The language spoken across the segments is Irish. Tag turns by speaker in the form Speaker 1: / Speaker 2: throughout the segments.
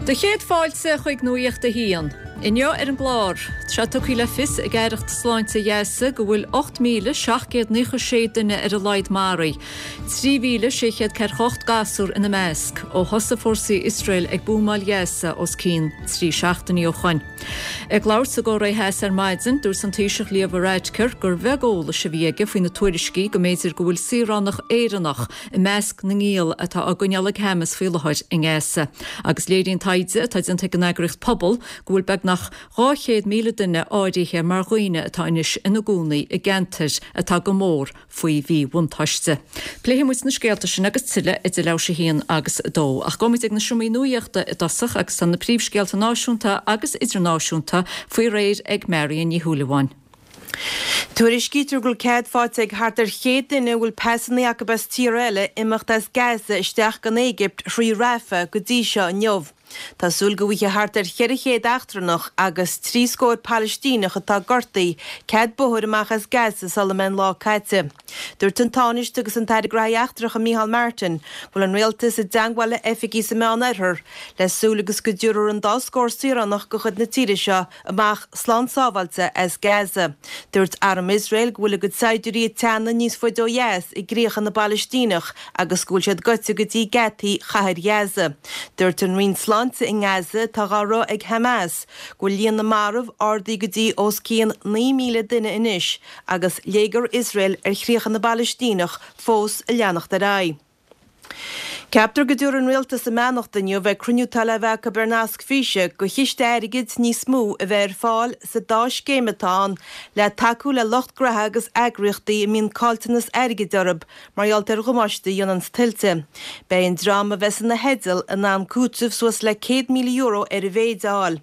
Speaker 1: Do chéad fáilte chuig Nuacht a hAon. Inniu ar an gclár, tá sé tugtha le fios ag Aireacht Sláinte Ghaza go bhfuil 8,796 duine ar a laghad maraithe, 3,648 gasúr ina measc, ó thosaigh fórsaí Iosrael ag buamáil Ghaza os cionn 3 seachtainí ó shoin. Ag labhairt sa gCóiré Theas ar maidin, dúirt an Taoiseach Leo Varadkar gur bheag eolais a bhí aige faoi na tuairiscí go mb'fhéidir go bhfuil saoránach Éireannach i measc na ngiall atá á gcoinneáil ag Hamas faoi láthair i nGaza. Agus léiríonn taighde atá déanta ag an eagraíocht Pobal go bhfuil beagnach 200,000 duine áirithe mar dhaoine atá anois ina gcónaí i gceantair atá go mór faoi mhíbhuntáiste. Pléifidh muid na scéalta sin agus tuilleadh idir leathuair théis a haon agus a dó. Ach gabhfaidh muid ag na seomraí nuaíochta i dtosach agus tá na príomhscéalta náisiúnta agus idirnáisiúnta faoi réir ag Marion Ní Shúilleabháin.
Speaker 2: Tuairiscítear go bhfuil cead faighte ag thart ar 100 duine a bhfuil pasanna acu as tíortha eile imeacht as Gaza isteach go an Éigipt thrí Rafah go dtí seo inniu. Tá súil go bhfaighidh thart ar 400 eachtrannach agus trí scór Palaistíneach atá gortaithe cead bóthair amach as Gaza sula mbeidh an lá caite. Dúirt an Tánaiste agus an tAire Graithí Eachtracha Micheál Martin go bhfuil an rialtas i dteangmháil le oifigigh sa Meán-Oirthear le súil agus go dtabharfar an dá scór saoránach de chuid na tíre seo amach slán sábháilte as Gaza. Dúirt arm Iosrael go bhfuil a gcuid saighdiúirí ag teannadh níos faide ó dheas i gcríocha na bPalaistíneach agus go bhfuil siad gaibhte go dtí geataí chathair Ghaza. Dúirt an Roinn Sláinte i nGaza, atá dhá rith ag Hamas, go bhfuil líon na marbh ardaithe go dtí os cionn 9,000 duine anois agus léigear Iosrael ar chríocha na bPalaistíneach fós ag leanacht ar aghaidh. Ceaptar go dtabharfaidh an Rialtas a mbeannacht inniu ag cruinniú atá le bheith acu ar nasc físe go chiste airgid níos mó a bheith ar fáil sa dá scéim atá ann le tacú le lucht graithe agus eagraíochtaí a mbíonn caillteanas airgid orthu mar gheall ar dhamáiste a dhéananns tuilte. Beidh an dream a bheas ina theideal in ann cúiteamh suas le €100,000 ar a mhéid a fháil.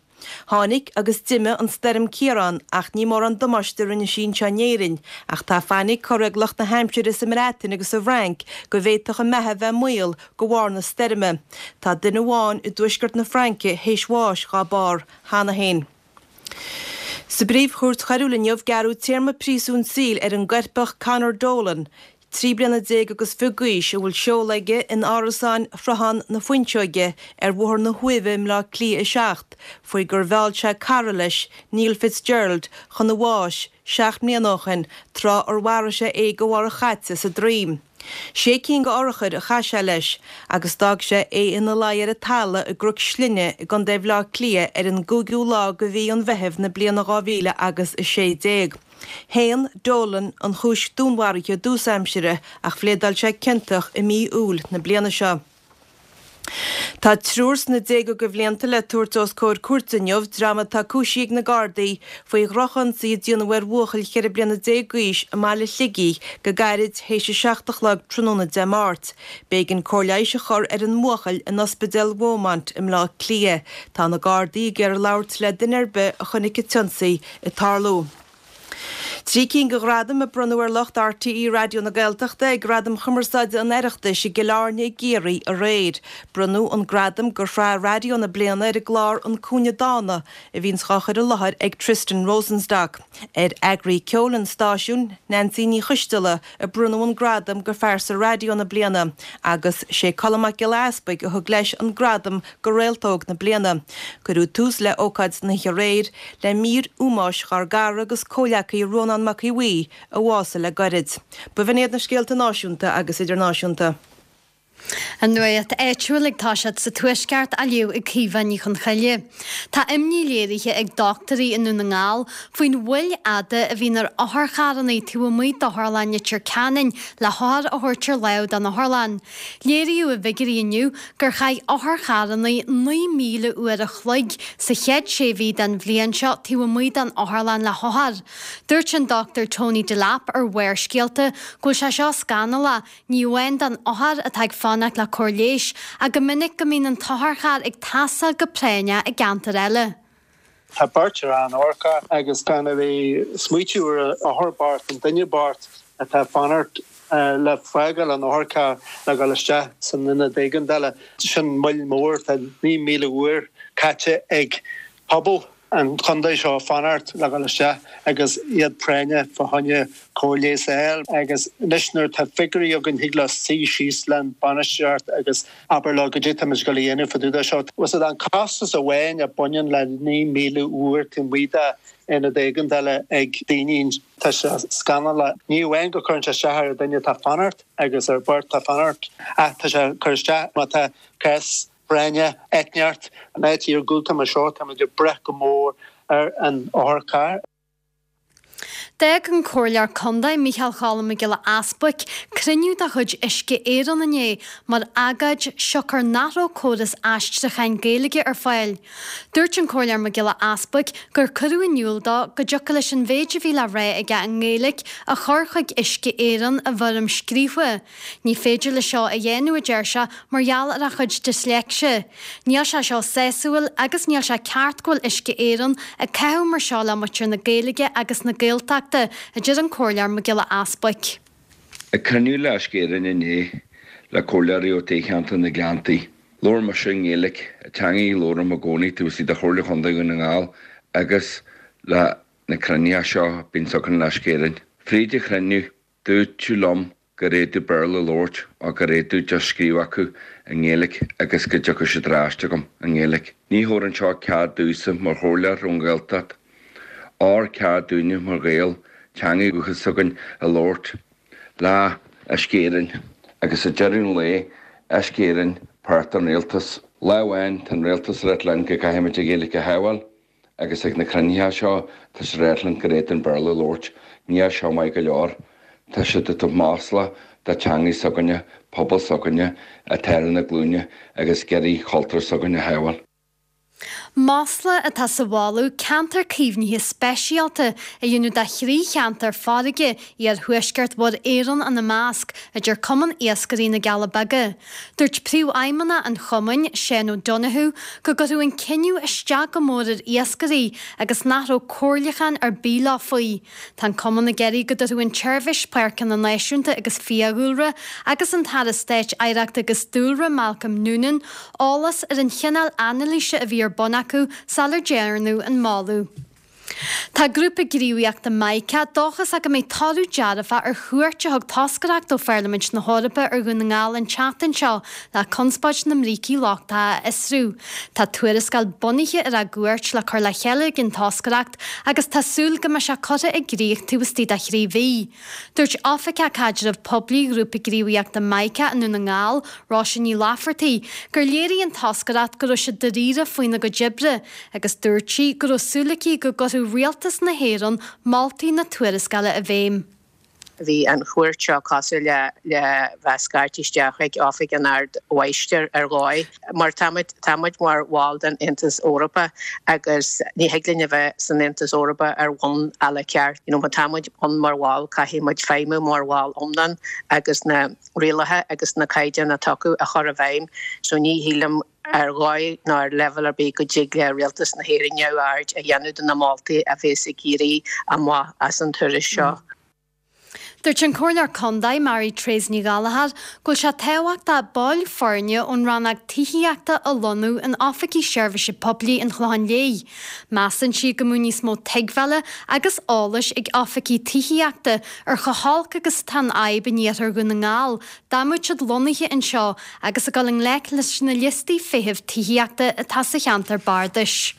Speaker 2: Tháinig agus d'imigh an stoirm Ciarán ach ní mórán damáiste a rinne sí anseo in Éirinn, ach tá fainic curtha ag lucht na haimsire sa mBreatain agus sa bhFrainc go bhféadfadh a mbeatha bheith i mbaol de bharr na stoirme. Tá duine amháin i dtuaisceart na Fraince théis bháis dhá barr cheana féin. Sa bPríomh-Chúirt Choiriúil inniu gearradh téarma príosúin saoil ar an gcoirpeach Conor Dolan, 13 bliana agus fiche d'aois, a bhfuil seoladh aige in árasáin Shruthán na Fuinseoige ar Bhóthar na hUaimhe i mBleá Cliath 7, faoi gur mheall sé cara leis, Neil Fitzgerald, chun a bháis, 7 mbliana ó shin, tráth ar mharaigh sé é de bharr a chait sa droim. Sé cinn d'urchair a chaith sé leis, agus d'fhág sé é ina luí ar an talamh i gCnoc Slinne i gContae Bhleá Cliath ar an gcúigiú lá de mhí an Mheithimh na bliana 2016. Shéan Dolan an chúis dúnmharaithe i dtús aimsire ach phléadáil sé ciontach i mí Iúil na bliana seo. Tá triúr sna déaga de bhlianta le tabhairt os comhair cúirte inniu, dream atá cúisithe ag na Gardaí faoi dhrochionsaí a déanadh ar bhuachaill 14 bliana d'aois i mbaile Shligigh go gairid théis a 7 a chlog tráthnóna Dé Máirt. B'éigean cóir leighis a chur ar an mbuachaill in Ospidéal Beaumont i mBleá Cliath. Tá na Gardaí ag iarraidh labhairt le duine ar bith a chonaic an t-ionsaí ag tarlú. Trí cinn de ghradaim a bronnadh ar lucht RTÉ Raidió na Gaeltachta ag Gradaim Chumarsáide an Oireachtais i gCill Airne i gCiarraí aréir. Bronnadh an gradam do Shraith Raidió na Bliana ar an gclár An Cúinne Dána a bhíonns dhá chur i láthair ag Tristan Rosenstock. Ar eagraí ceoil an stáisiúin, Neansaí Ní Choisteala, a bronnadh an gradam do Phearsa Raidió na Bliana agus sé Colm Mac Giolla Easpaig a thug leis an gradam do Réalt Óg na Bliana. Cuireadh tús le ócáid na hoíche aréir le mír ómóis dhár gcara agus comhghleacaí Rónán Mac Aodha Bhuí a bhásaigh le gairid. B'in iad na scéalta náisiúnta agus idirnáisiúnta.
Speaker 3: An nuacht áitiúil ag toiseacht sa Tuaisceart á léamh ag Caoimhe Ní Chonchoille. Tá imní léirithe ag dochtúirí i nDún na nGall faoin mhoill fhada a bhíonn ar otharcharranna taobh amuigh d'Otharlann Leitir Ceanainn le hothair a thabhairt ar láimh don otharlann. Léiríodh i bhfigiúirí inniu gur chaith otharcharranna 9,000 uair a chloig sa chéad sé mhí den bhliain seo taobh amuigh den otharlann le hothair. Dúirt an Dr Tony Delap ar Bharrscéalta go bhfuil sé seo scannalach Ní amháin don othar atá ag fanacht le cóir leighis, ach go minic go mbíonn an t-otharcharr ag teastáil go práinneach i gceantar eile.
Speaker 4: Tá beirt ar an otharcharr agus gan a bheith ag smaoitiú ar an othar bocht, an duine bocht atá ag fanacht le fágáil an otharcharr le dhul isteach san ionad éigeandála. Sin moill mhór. Tá 9,000 uair caite ag pobal. an chontae seo fanacht le dhul isteach agus iad práinneach fá choinne cóir leighis a fháil agus anois nuair atá figiúirí againn thig leo suí síos leis bainistíocht agus abair leo goidé tá muid ag dul a dhéanamh fá dtaobh de seo. Bhfuil fhios agat an costas amháin a baineann le 9,000 uair taobh amuigh de aonad éigeandála ag daoine tá sé scannalach. Ní amháin go cuireann sé isteach ar an duine atá fanacht agus ar bheirt atá fanacht ach tá sé ag cur isteach má tá cás práinne eitneacht an áit iargúlta mar seo, táimid ag brath go mór ar an otharcharr.
Speaker 3: D'fhág an Comhairleoir Contae, Micheál Cholm Mac Giolla Easbuic, cruinniú de chuid Uisce Éireann inné mar agóid siocair nach raibh córas aistriúcháin Gaeilge ar fáil. Dúirt an Comhairleoir Mac Giolla Easbuic gur cuireadh in iúl dó go dtiocfadh leis an mhéid a bhí le rá aige i nGaeilge a chur chuig Uisce Éireann i bhfoirm scríofa. Ní féidir leis seo a dhéanamh, a deir sé, mar gheall ar a chuid disléicse. Níl sé seo sásúil agus níl sé ceart go bhfuil Uisce Éireann ag caitheamh mar seo le muintir na Gaeilge agus na Gaeltachta, a deir an Comhairleoir Mac Giolla Easbuic.
Speaker 5: Ag cruinniú le Uisce Éireann inné le comhairleoirí ó toghcheantar na Gleanntaí, labhair mise i nGaeilge, an teanga a labhraím i gcónaí taobh istigh de Chomhairle Chontae Dhún na nGall agus le na cruinnithe seo a bíonns againn le Uisce Éireann. Fríd an chruinniú, Dúirt liom gur fhéadfadh Béarla a labhairt ó gur fhéadfadh just scríobh acu i nGaeilge agus go dtiocfadh siad ar ais chugam i nGaeilge. Ní thabharann seo cead domhsa mar chomhairleoir ón Ghaeltacht or cead dúinne mar Ghaeil teanga dhúchas s'againn a labhairt le Uisce Éireann agus ag deireadh an lae Uisce Éireann páirt den rialtas. Lá amháin tá an rialtas ag ráit linn go gcaithfimid an Ghaeilge a shábháil. Agus ag na cruinnithe seo tá siad ag ráit linn gur fhéadfainn Béarla a labhairt. Níl seo maith go leor. Tá siad ag tabhairt masla do teangaidh s'againne, pobal s'againne atá ar na glúine agus ag iarraidh cultúr s'againne a shábháil.
Speaker 3: Masla atá sa mholadh ceantar caomhnaithe speisialta a dhéanamh de thrí cheantar farraige, iarthuaisceart Mhuir Éireann ina measc, a deir Cumann Iascairí na gCealla Beaga. Dúirt Príomhfheidhmeannach an chumainn, Seán O'Donoghue, go gcuirfeadh an cinneadh isteach go mór ar iascairí agus nach raibh comhairliúchán ar bith leo faoi. Tá an cumann ag iarraidh go dtabharfadh an tSeirbhís Páirceanna Náisiúnta agus Fiadhúlra agus an tAire Stáit Oidhreachta agus Dúlra Malcolm Noonan eolas ar an chineál anailíse a bhí ar bun acu sular dearnadh an moladh. Tá grúpa gníomhaíochta Mica dóchasach go mbeidh toradh dearfach ar chuairt a thug toscaireacht ó Pharlaimint na hEorpa ar Dhún na nGall an tseachtain seo le conspóid na mbrící lochtacha a fhiosrú. Tá tuarascáil bunaithe ar a gcuairt le cur le chéile ag an toscaireacht agus tá súil go mbeidh sé curtha i gcrích taobh istigh de thrí mhí. Dúirt Oifigeach Caidreamh Poiblí Ghrúpa Gníomhaíochta Mica i nDún na nGall, Róise Ní Laifeartaigh, gur léirigh an toscaireacht go raibh siad dáiríre faoina gcuid oibre agus dúirt sí go raibh súil aici go gcuirfeadh Rialtas na hÉireann moltaí na tuarascála i bhfeidhm.
Speaker 6: Bhí an chuairt seo cosúil le le bheith scairte isteach ag Oifig an Ard-Mháistir ar dhóigh, mar táimid táimid mar bhall den Aontas Eorpach agus ní thig linn a bheith san Aontas Eorpach ar bhonn à la carte. You know, má táimid ann mar bhall caithfidh muid feidhmiú mar bhall iomlán agus na rialacha agus na caighdeáin atá acu a chur i bhfeidhm. So ní shílim ar dhóigh ná ar leibhéal ar bith go dtig le Rialtas na hÉireann neamhaird a dhéanamh de na moltaí a bhéas ag éirí amach as an turas seo.
Speaker 3: Dúirt an Comhairleoir Contae, Mary Therese Ní Ghallchóir, go bhfuil sé tábhachtach baill foirne ón rannóg tithíochta a lonnú in oifigí seirbhíse poiblí an Chlocháin Léith. Measann sí go mbeadh níos mó tuigbheála agus eolais ag oifigigh tithíochta ar chomh holc agus atá an fhadhb in iarthar Dhún na nGall dá mbeadh siad lonnaithe anseo agus ag dul i ngleic leis na liostaí feithimh tithíochta atá sa cheantar bardais.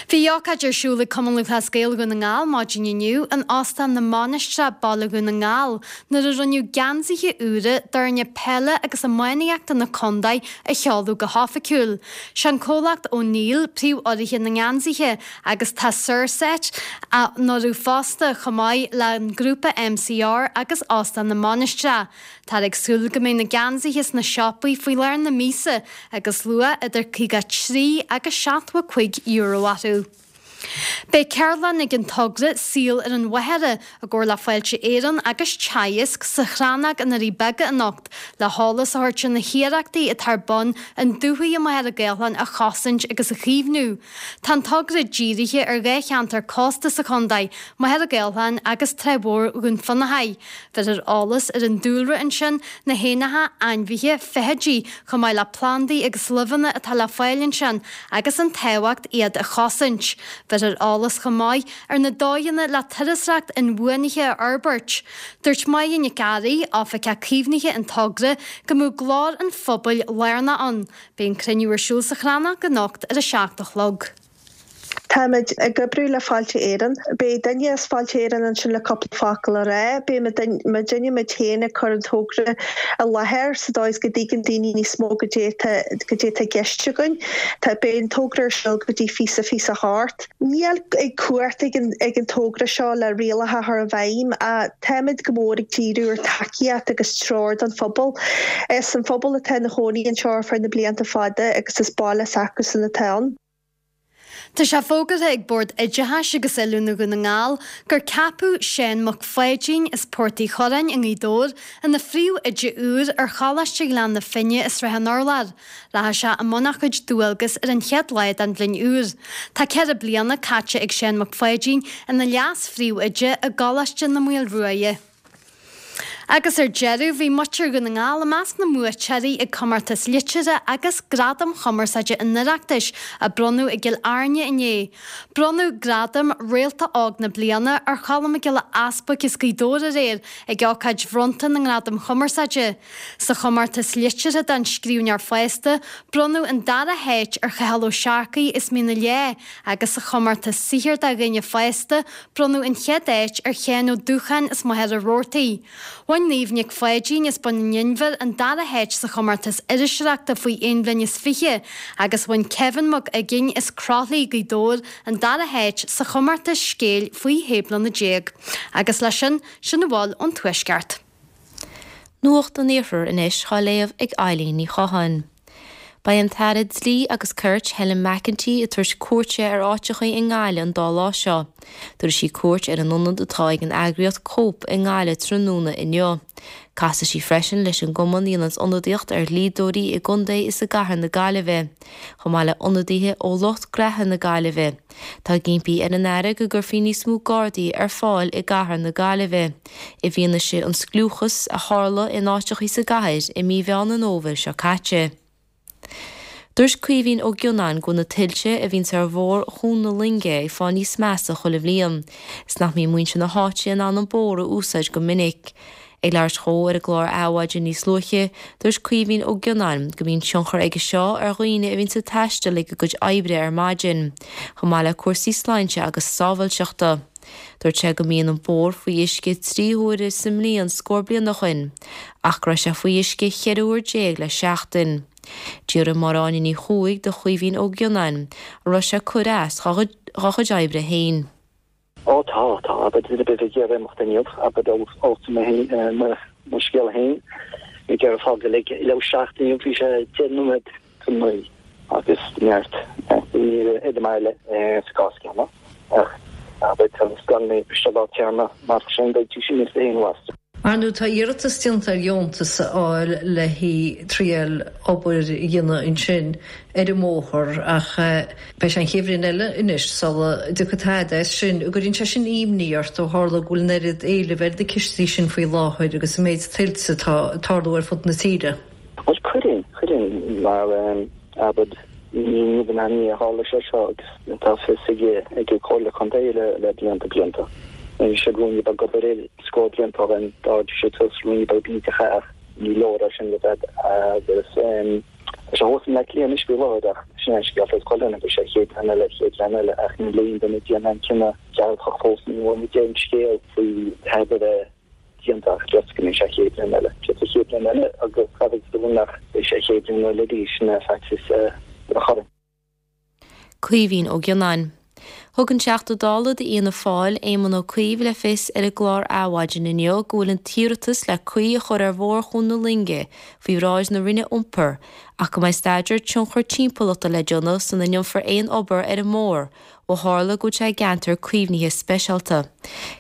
Speaker 3: Bhí ócáid ar siúl ag Cumann Lúthchleas Gael Dhún na nGall maidin inniu in Óstán na Mainistreach, Baile Dhún na nGall, nuair a rinneadh geansaithe úra d'fhoirne peile agus iománaíochta na contae a sheoladh go hoifigiúil. Sé an comhlacht O'Neill príomhurraithe na ngeansaithe agus tá Saorset á n-urrú fosta, chomh maith le an grúpa MCR agus Óstán na Mainistreach. Táthar ag súil go mbeidh na geansaithe sna siopaí faoi lár na míosa agus luach idir €53 agus €75 orthu. Beidh ceardlann ag an togra Saol ar an Mhachaire i gcomhar le Fáilte Éireann agus Teagasc sa Chrannóg i nDoirí Beaga anocht le heolas a thabhairt ar na hiarrachtaí atá ar bun an dúthaigh i Machaire Gathlán a chosaint agus a chaomhnú. Tá an togra dírithe ar dhá cheantar cósta sa chontae, Machaire Gathlán agus Trá Mhór Dhún Fionnachaidh. Bheirfear eolas ar an dúlra ansin, na héanacha, ainmhithe, feithidí, chomh maith le plandaí agus luibheanna atá le fáil ansin agus an tábhacht iad a chosaint. Bheirfear eolas chomh maith ar na dóigheanna le turasóireacht inbhuanaithe a fhorbairt. Dúirt Máire Nic Fhearraigh, Oifigeach Caomhnaithe an togra, go mbeadh glór an phobail lárnach ann. Beidh an cruinniú ar siúl sa Chrannóg anocht ar a 7 a chlog.
Speaker 7: Táimid ag oibriú le Fáilte Éireann. Beidh duine as Fáilte Éireann ansin le cúpla focal a rá. Beidh muidinne muid féin ag cur an togra i láthair sa dóigh is go dtuigeann daoine níos mó goidé atá goidé atá i gceist againn. Tá beidh an togra ar siúl go dtí fiche 28. Níl cumhacht ag an ag an togra seo le rialacha a chur i bhfeidhm ach táimid go mór ag díriú ar tacaíocht agus treoir don phobal. Is an phobal atá ina chónaí anseo ar feadh na blianta fada agus is baile s'acusan atá ann.
Speaker 3: Tá sé fógartha ag Bord Oideachais agus Oiliúna Dhún na nGall gur ceapadh Seán Mac Pháidín as Port Uí Churráin i nGaoth Dobhair ina phríomhoide úr ar Choláiste Ghleann na Finne i Srath an Urláir. Rachaidh sé i mbun a chuid dualgas ar an chéad lá den bhliain úr. Tá 4 bliana caite ag Seán Mac Pháidín ina leas-phríomhoide i gColáiste na Maoilruaidhe. Agus ar deireadh, bhí muintir Dhún na nGall i measc na mbuaiteoirí ag Comórtas Liteartha agus Gradaim Chumarsáide an Oireachtais a bronnadh i gCill Airne inné. Bronnadh gradam Réalta Óg na Bliana ar Cholm Mac Giolla Easbuic as Gaoth Dobhair aréir ag ócáid bhronnta na nGradam Chumarsáide. Sa chomórtas liteartha don scríbhneoir fásta, bronnadh an dara háit ar Chathal Ó Searcaigh as Mín an Leá agus sa chomórtas saothair do dhaoine fásta, Bronnadh an chéad áit ar Sheán Ó Dúcháin as Machaire Rabhartaigh. Bhain Niamh Nic Pháidín as Bun an Inbhir an dara háit sa chomórtas iriseoireachta faoi aon bhliain is fiche agus bhain Kevin Mac Uiginn as Croithlí, Gaoth Dobhair an dara háit sa chomórtas scéil faoi shé bliana déag. Agus leis sin, sin a bhfuil ón Tuaisceart.
Speaker 8: Nuacht an Iarthair anois dhá léamh ag Eilín Ní Chatháin. Beidh an tAire Dlí agus Cirt, Helen McEntee, ag tabhairt cuairte ar áiteachaí i nGaillimh an dá lá seo. Tabharfaidh sí cuairt ar an ionad atá ag an eagraíocht Cope i nGaillimh tráthnóna inniu. Casfaidh sí freisin leis an gcumann a dhéananns ionadaíocht ar dhlíodóirí i gcontae is i gcathair na Gaillimhe, chomh maith le ionadaithe ó lucht graithe na Gaillimhe. Tá ag impí ar an Aire go gcuirfí níos mó Gardaí ar fáil i gcathair na Gaillimhe. i bhfianaise an scliúchas a tharla in áiteachaí sa gcathair i mí Mheán an Fhómhair seo caite. Dúirt Caoimhín Ó Gionnáin go bhfuil na tuilte a bhíonns ar bhóthar Chuan na Loinge ag fáil níos measa chuile bhliain, is nach mbíonn muintir na háite in ann an bóthar a úsáid go minic. Ag labhairt dhó ar an gclár Adhmhaidin níos luaithe, dúirt Caoimhín Ó Gionnáin go mbíonn tionchar aige seo ar dhaoine a bhíonns ag taisteal ag a gcuid oibre ar maidin, chomh maith le cúrsaí sláinte agus sábháilteachta. Dúirt sé go mbíonn an bóthar faoi uisce 3 huaire sa mbliain scór bliain ó shoin, ach go raibh sé faoi uisce 14 uair le seachtain. D'fhiafraigh Máire Áine Ní Chuaig de Chaoimhín Ó Gionnáin an raibh sé ag cur as dhá chuid oibre féin.
Speaker 9: Ó tá, tá, abair duine ar bith ag iarraidh imeacht inniu, abair ó mo mo scéal féin, ag iarraidh fágáil ag leathuair tar éis 7 inniu, bhí sé 10 nóiméad chun 9 agus neart daoine ar an mbaile sa gcás céanna ach abair tá scoil na bhfichead lá téarma mar sin beidh sí níos aon mhaith.
Speaker 10: Ar ndóigh tá iarratas déanta ar dheontas a fháil le triail obair a dhéanamh ansin ar an mbóthar ach beidh sé an chéad bhliain eile anois sula dtiocfaidh tada as sin. An gcuireann sé sin imní ort ó tharla go bhfuil an oiread éilimh ar na cistí sin faoi láthair agus an méid tuilte atá ag tarlú ar fud na tíre?
Speaker 9: Bhuel, cuireann, cuireann, mar abair, ní in ainneoin a tharla sé seo agus tá fios ag ag an Comhairle Contae le le blianta blianta. Bhí siad ruainne beag obair air scór blianta ó shin, d'ardaigh siad suas ruainne beag bídeacha ach ní leor é sin le bheith agus tá sé thuas i mBleá Cliath anois faoi láthair ach sin é an scéal fós chuile dhuine, beidh sé chéad bhliain eile, chéad bhliain eile ach níl aon duine ag déanamh aon cinneadh dearfach fós, ní bhfuair muid aon scéal faoi tada a bheith déanta ach just go mbeidh sé chéad bhliain eile. Sé sa chéad bhliain eile agus caithfidh tú nach beidh sé chéad bhliain eile arís ina faitíos a chur.
Speaker 8: Caoimhín Ó Gionnáin. Thug an Teachta Dála d'Fhianna Fáil, Éamon Ó Cuív le fios ar an gclár Adhmhaidin inniu go bhfuil an t-iarratas le caoi a chur ar Bhóthar Chuan na Loinge faoi bhráid na Roinne Iompair ach go mbeidh staidéar tionchar timpeallachta le déanamh sula ndéanfar aon obair ar an mbóthar ó tharla go bhfuil sé i gceantar caomhnaithe speisialta.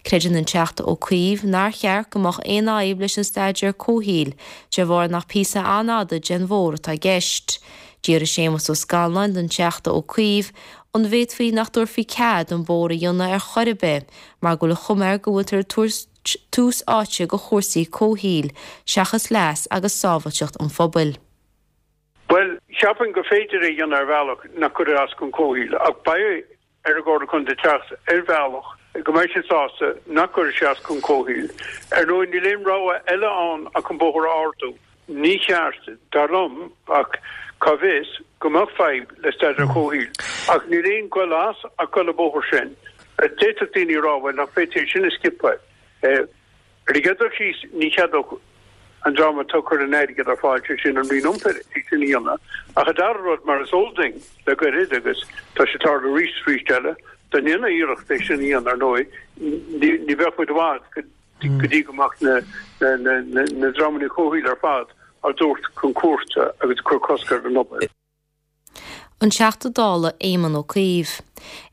Speaker 8: Creideann an Teachta Ó Cuív nár cheart go mbeadh aon fhadhb leis an staidéar comhshaoil de bharr nach píosa an-fhada den bhóthar atá i gceist. D'fhiafraigh Séamus Ó Scanláin den Teachta Ó Cuív An bhféadfaí nach dtabharfaí cead an bóthar a dhéanamh ar chor ar bith mar go bhfuil an chuma air go bhfuiltear ag tabhairt tús áite go chúrsaí comhshaoil seachas leas agus sábhailteacht an phobail?
Speaker 11: Bhuel, cheapfainn gur féidir é a dhéanamh ar bhealach nach gcuirfidh as don chomhshaol, ach beidh ar an gComhairle Contae teacht ar bhealach go mbeidh siad sásta nach gcuirfidh sé as don chomhshaol. Ar ndóigh, níl aon rogha eile ann ach an bóthar a ardú. Ní cheart, dar liom, ach cá bhfios, go mbeadh fadhb le staidéar comhshaoil. Ach níl aon ghoil as ach goil an bóthar sin. D'fhéadfadh daoine a rá, bhuel, nach bhféadfaí é sin a sciobadh? Ar an gcéad dul síos, ní cheadódh an dream atá ag cur an airgid ar fáil, sé sin an Roinn Iompair, é sin a dhéanamh. Ach an dara rud, mar is eol duinn le gairid, agus tá sé ag tarlú arís is arís eile, dá ndéanfaí iarracht é sin a dhéanamh, ar ndóigh, ní bheadh muid i bhfad go go dtí go mbeadh na dreamanna comhshaoil ar fad á dtabhairt chun cúirte agus ag cur cosc ar an obair.
Speaker 8: An Teachta Dála Éamon Ó Cuív.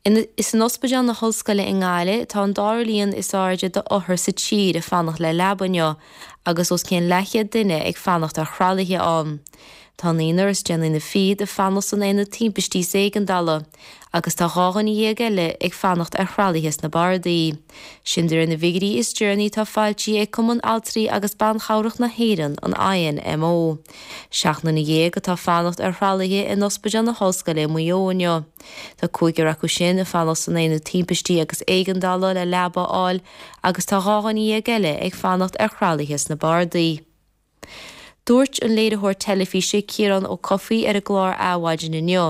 Speaker 8: Is in Ospidéal na hOllscoile i nGaillimh atá an dara líon is airde d'othair sa tír ag fanacht le leaba inniu agus os cionn leathchéad duine ag fanacht ar thralaithe ann. Tá naonúr is deich nduine fichead ag fanacht san Aonad Timpistí is Éigeandála. agus tá 12 dhuine eile ag fanacht ar thralaithe sna bardaí. Sin de réir na bhfigiúirí is deireanaí atá foilsithe ag Cumann Altraí agus Ban Chabhrach na hÉireann, an INMO. 17 nduine atá ag fanacht ar thralaithe in Ospidéal na hOllscoile i Maigh Eo inniu. Tá cúigear acu sin ag fanacht san Aonad Timpistí agus Éigeandála le leaba a fháil agus tá 12 dhuine eile ag fanacht ar thralaithe sna bardaí. Dúirt an léiritheoir teilifíse Ciarán Ó Cofaigh ar an gclár Adhmhaidin inniu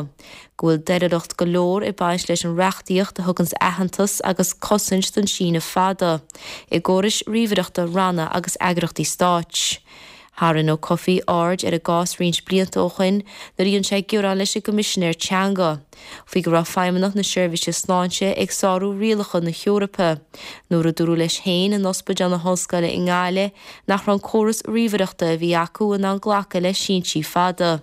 Speaker 8: go bhfuil doiléireacht go leor ag baint leis an reachtaíocht a thuganns aitheantas agus cosaint don síneadh fada i gcórais ríomhaireachta ranna agus eagrachtaí stáit. Tharraing Ó Cofaigh aird ar an gcás roinnt blianta ó shoin nuair a dhein sé gearán leis an gCoimisinéir Teanga. faoi go raibh Feidhmeannacht na Seirbhíse Sláinte ag sárú rialacha na hEorpa nuair a dúradh leis féin in Ospidéal na hOllscoile i nGaillimh nach raibh an córas ríomhaireachta a bhí acu in ann glacadh le síntí fada.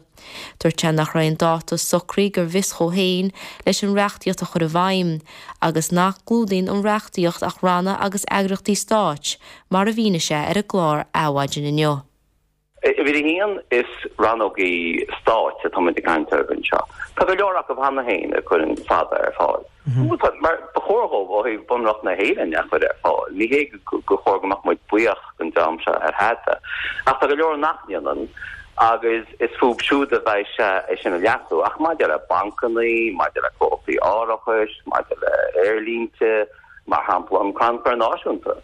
Speaker 8: Dúirt sé nach raibh aon dáta socraithe go bhfios dhó féin leis an reachtaíocht a chur i bhfeidhm agus nach gclúdaíonn an reachtaíocht ach ranna agus eagraíochtaí stáit, mar a mhínigh sé ar an gclár Adhmhaidin inniu.
Speaker 12: Uimhir a haon, is rannógaí stáit atá muid ag caint orthu anseo. Tá go leor acu cheana féin a chuireann fada ar fáil. Mar ba chóir dhóibh ó thaobh Bunreacht na hÉireann a chur ar fáil. Ní hé gur chóir go mbeadh muid buíoch don dream seo ar thada. Ach tá go leor nach ndéanann agus is fúthu siúd a bheidh sé é sin a leasú. Ach maidir le bancannaí, maidir le comhlachtaí árachais, maidir le aerlínte, mar shampla an Crannchur Náisiúnta,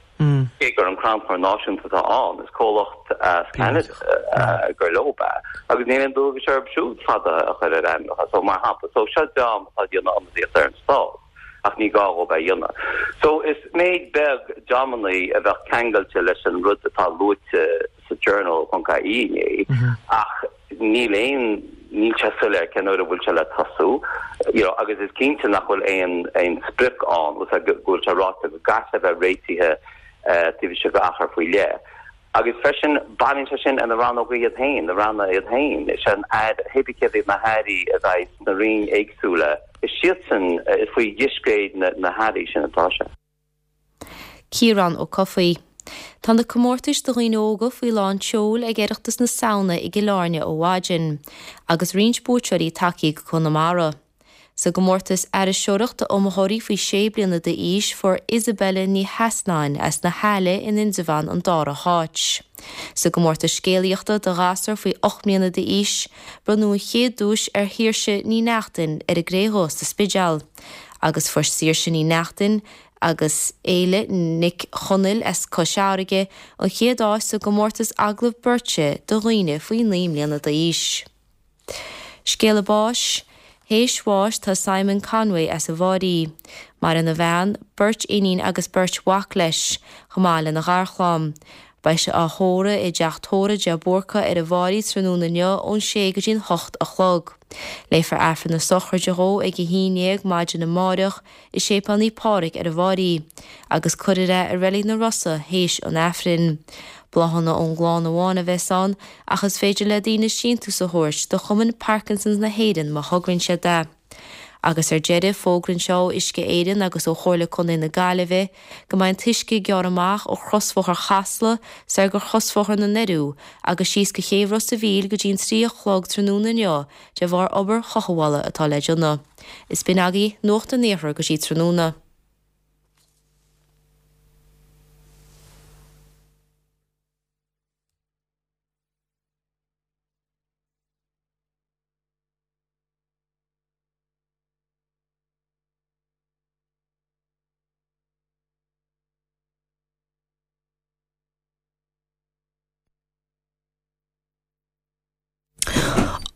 Speaker 12: Cé gur an Crannchur Náisiúnta atá ann, is comhlacht as Ceanada gur leo é, agus níl aon dualgas orthu siúd fada a chur ar ainmneacha. So, mar shampla, so seo dream atá ag déanamh ionadaíocht ar an stát, ach ní gá dhóibh é a dhéanamh. So, is méid beag dreamannaí a bheadh ceangailte leis an rud atá luaite sa Journal ponc ie inné, ach níl aon, níl sé soiléir cén uair a bhfuil sé le tosú, you know, agus is cinnte nach bhfuil aon, aon sprioc ann, go bhfuil sé ráite go gcaithfidh sé bheith réitithe taobh istigh d'achar faoi leith. Agus freisin, baineann sé sin ar na rannóga iad féin, na ranna iad féin. Is é an Aire, hé bí céard iad na hairí a bheidh sna roinn éagsúla, is iadsan, is faoi dhiscréid na, na hairí sin atá sé.
Speaker 8: Ciarán Ó Cofaigh. Tá na comórtais do dhaoine óga faoi lán tseoil ag Oireachtas na Samhna i gCill Airne ó mhaidin, agus roinnt buaiteoirí tagtha go Conamara. Sa gcomórtas aithriseoireacht d'iomaitheoirí faoi 6 bliana d'aois fuair Isabella Ní Sheasnáin as na hAille in Indreabhán an dara háit. Sa gcomórtas scéalaíochta do ghasúir faoi 8 mbliana d'aois, bronnadh an chéad duais ar Shaoirse Ní Neachtain ar an gCré Dhubh sa Spidéal. Agus fuair Saoirse Ní Neachtain agus Éile Nic Chonaill as Cois Fharraige an chéad áit sa gcomórtas agallamh beirte do dhaoine faoi 9 mbliana d'aois. Scéala báis, Théis bháis tá Simon Conway as an bhFáirí. Maireann a bhean, beirt iníon agus beirt mhac leis, chomh maith lena gharchlann. Beidh sé á thórramh i dTeach Tórraimh de Búrca ar an bhFairche tráthnóna inniu ón sé go dtí'n hocht a chlog. Léifear Aifreann na sochraide dhó ag a haon dhéag maidin amáireach i Séipéal Naomh Pádraig ar an bhFairche, agus cuirfear é i Reilig na Rosa théis an Aifrinn. Bláthanna ón gclann amháin a bheas ann ach is féidir le daoine síntiús a thabhairt do Chumann Parkinson's na hÉireann má thograíonn siad é. Agus ar deireadh, fógra anseo ó Uisce Éireann agus ó Chomhairle Contae na Gaillimhe go mbeidh an t-uisce ag gearradh amach ó chrosbhóthar Chasla soir go chrosbhóthar na nDoiriú agus síos go Chéibh Ros a' Mhíl go dtí'n 3 a chlog tráthnóna inniu de bharr obair chothabhála atá le déanamh. Is b'in agaibh Nuacht an Iarthair go dtí tráthnóna.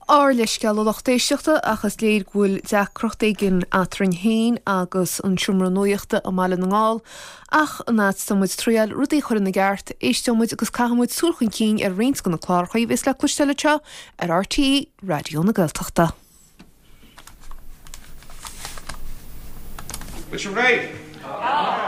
Speaker 13: Ár leithscéal a lucht éisteachta ach is léir go bhfuil deacracht éigin eadrainn féin agus an seomra nuachta i mBaile na nGall ach an fhad is atá muid ag triáil rudaí a chur ina gceart, éisteoidh muid agus caithfidh muid súil chun cinn ar roinnt de na cláracha a bheas le cloisteáil anseo ar RTÉ Raidió na Gaeltachta.
Speaker 14: Bhfuil sibh réidh?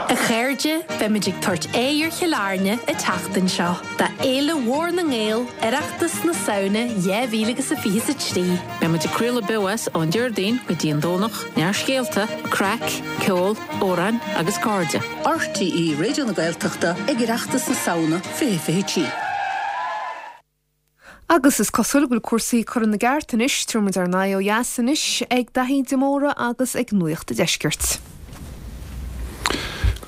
Speaker 15: A chairde, beimid ag tabhairt aghaidh ar Chill Airne an tseachtain seo do Fhéile Mhór na nGael, Oireachtas na Samhna 2023.
Speaker 16: Beidh muid ag craoladh beo as ón Déardaoin go dtí an Domhnach, neart scéalta, craic, ceol, amhráin agus cairde.
Speaker 17: RTÉ Raidió na Gaeltachta ag Oireachtas na Samhna 2023.
Speaker 13: Agus is cosúil go bhfuil cúrsaí curtha ina gceart anois. Tabharfaidh muid ár n-aghaidh ó dheas anois ag Daithí de Mórdha agus ag Nuacht an Deiscirt.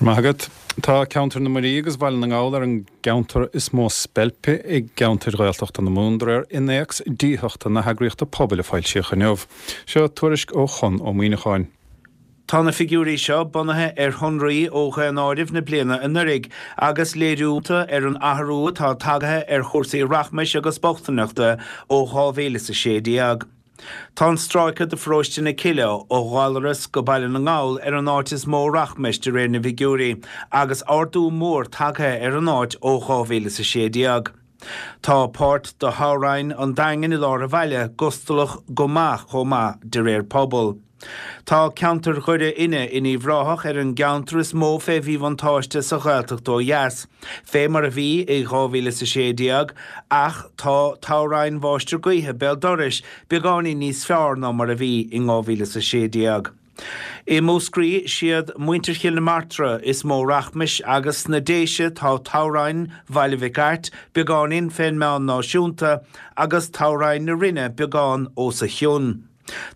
Speaker 18: Go raibh maith agat. Tá ceantar na Muirí agus Bhaile na nGall ar an gceantar is mó speilpe i gceantair Ghaeltachta na Mumhan de réir Innéacs Díothachta na heagraíochta pobail a foilsíodh inniu. Seo tuairisc ó Chonn Ó Muíneacháin.
Speaker 19: Tá na figiúirí seo bunaithe ar shonraí ó Dhaonáireamh na bliana anuraidh agus léiriú iontu ar an athrú atá tagaithe ar chúrsaí rachmais agus bochtaineachta ó 2016. Tá an stráice de pharóiste na Cille ó Ghallaras go Baile na nGall ar an áit is mó rachmais de réir na bhfigiúirí agus ardú mór tagtha ar an áit ó 2016. Tá páirt de thoghroinn an Daingin i lár an bhaile gustalach go maith chomh maith de réir pobal. Tá ceantar Dhoire Fhinne in Uíbh Ráthach ar an gceantar is mó fé mhíbhuntáiste sa Ghaeltacht ó dheas, fé mar a bhí i 2016, ach tá toghroinn Mháistir Gaoithe béal dorais beagáinín níos fearr ná mar a bhí in 2016. I Múscraí siad muintir Chill na Martra is mó rachmais agus sna Déise tá toghroinn Bhaile Mhic Airt beagáinín fén meán náisiúnta agus toghroinn na Rinne beagán os a chionn.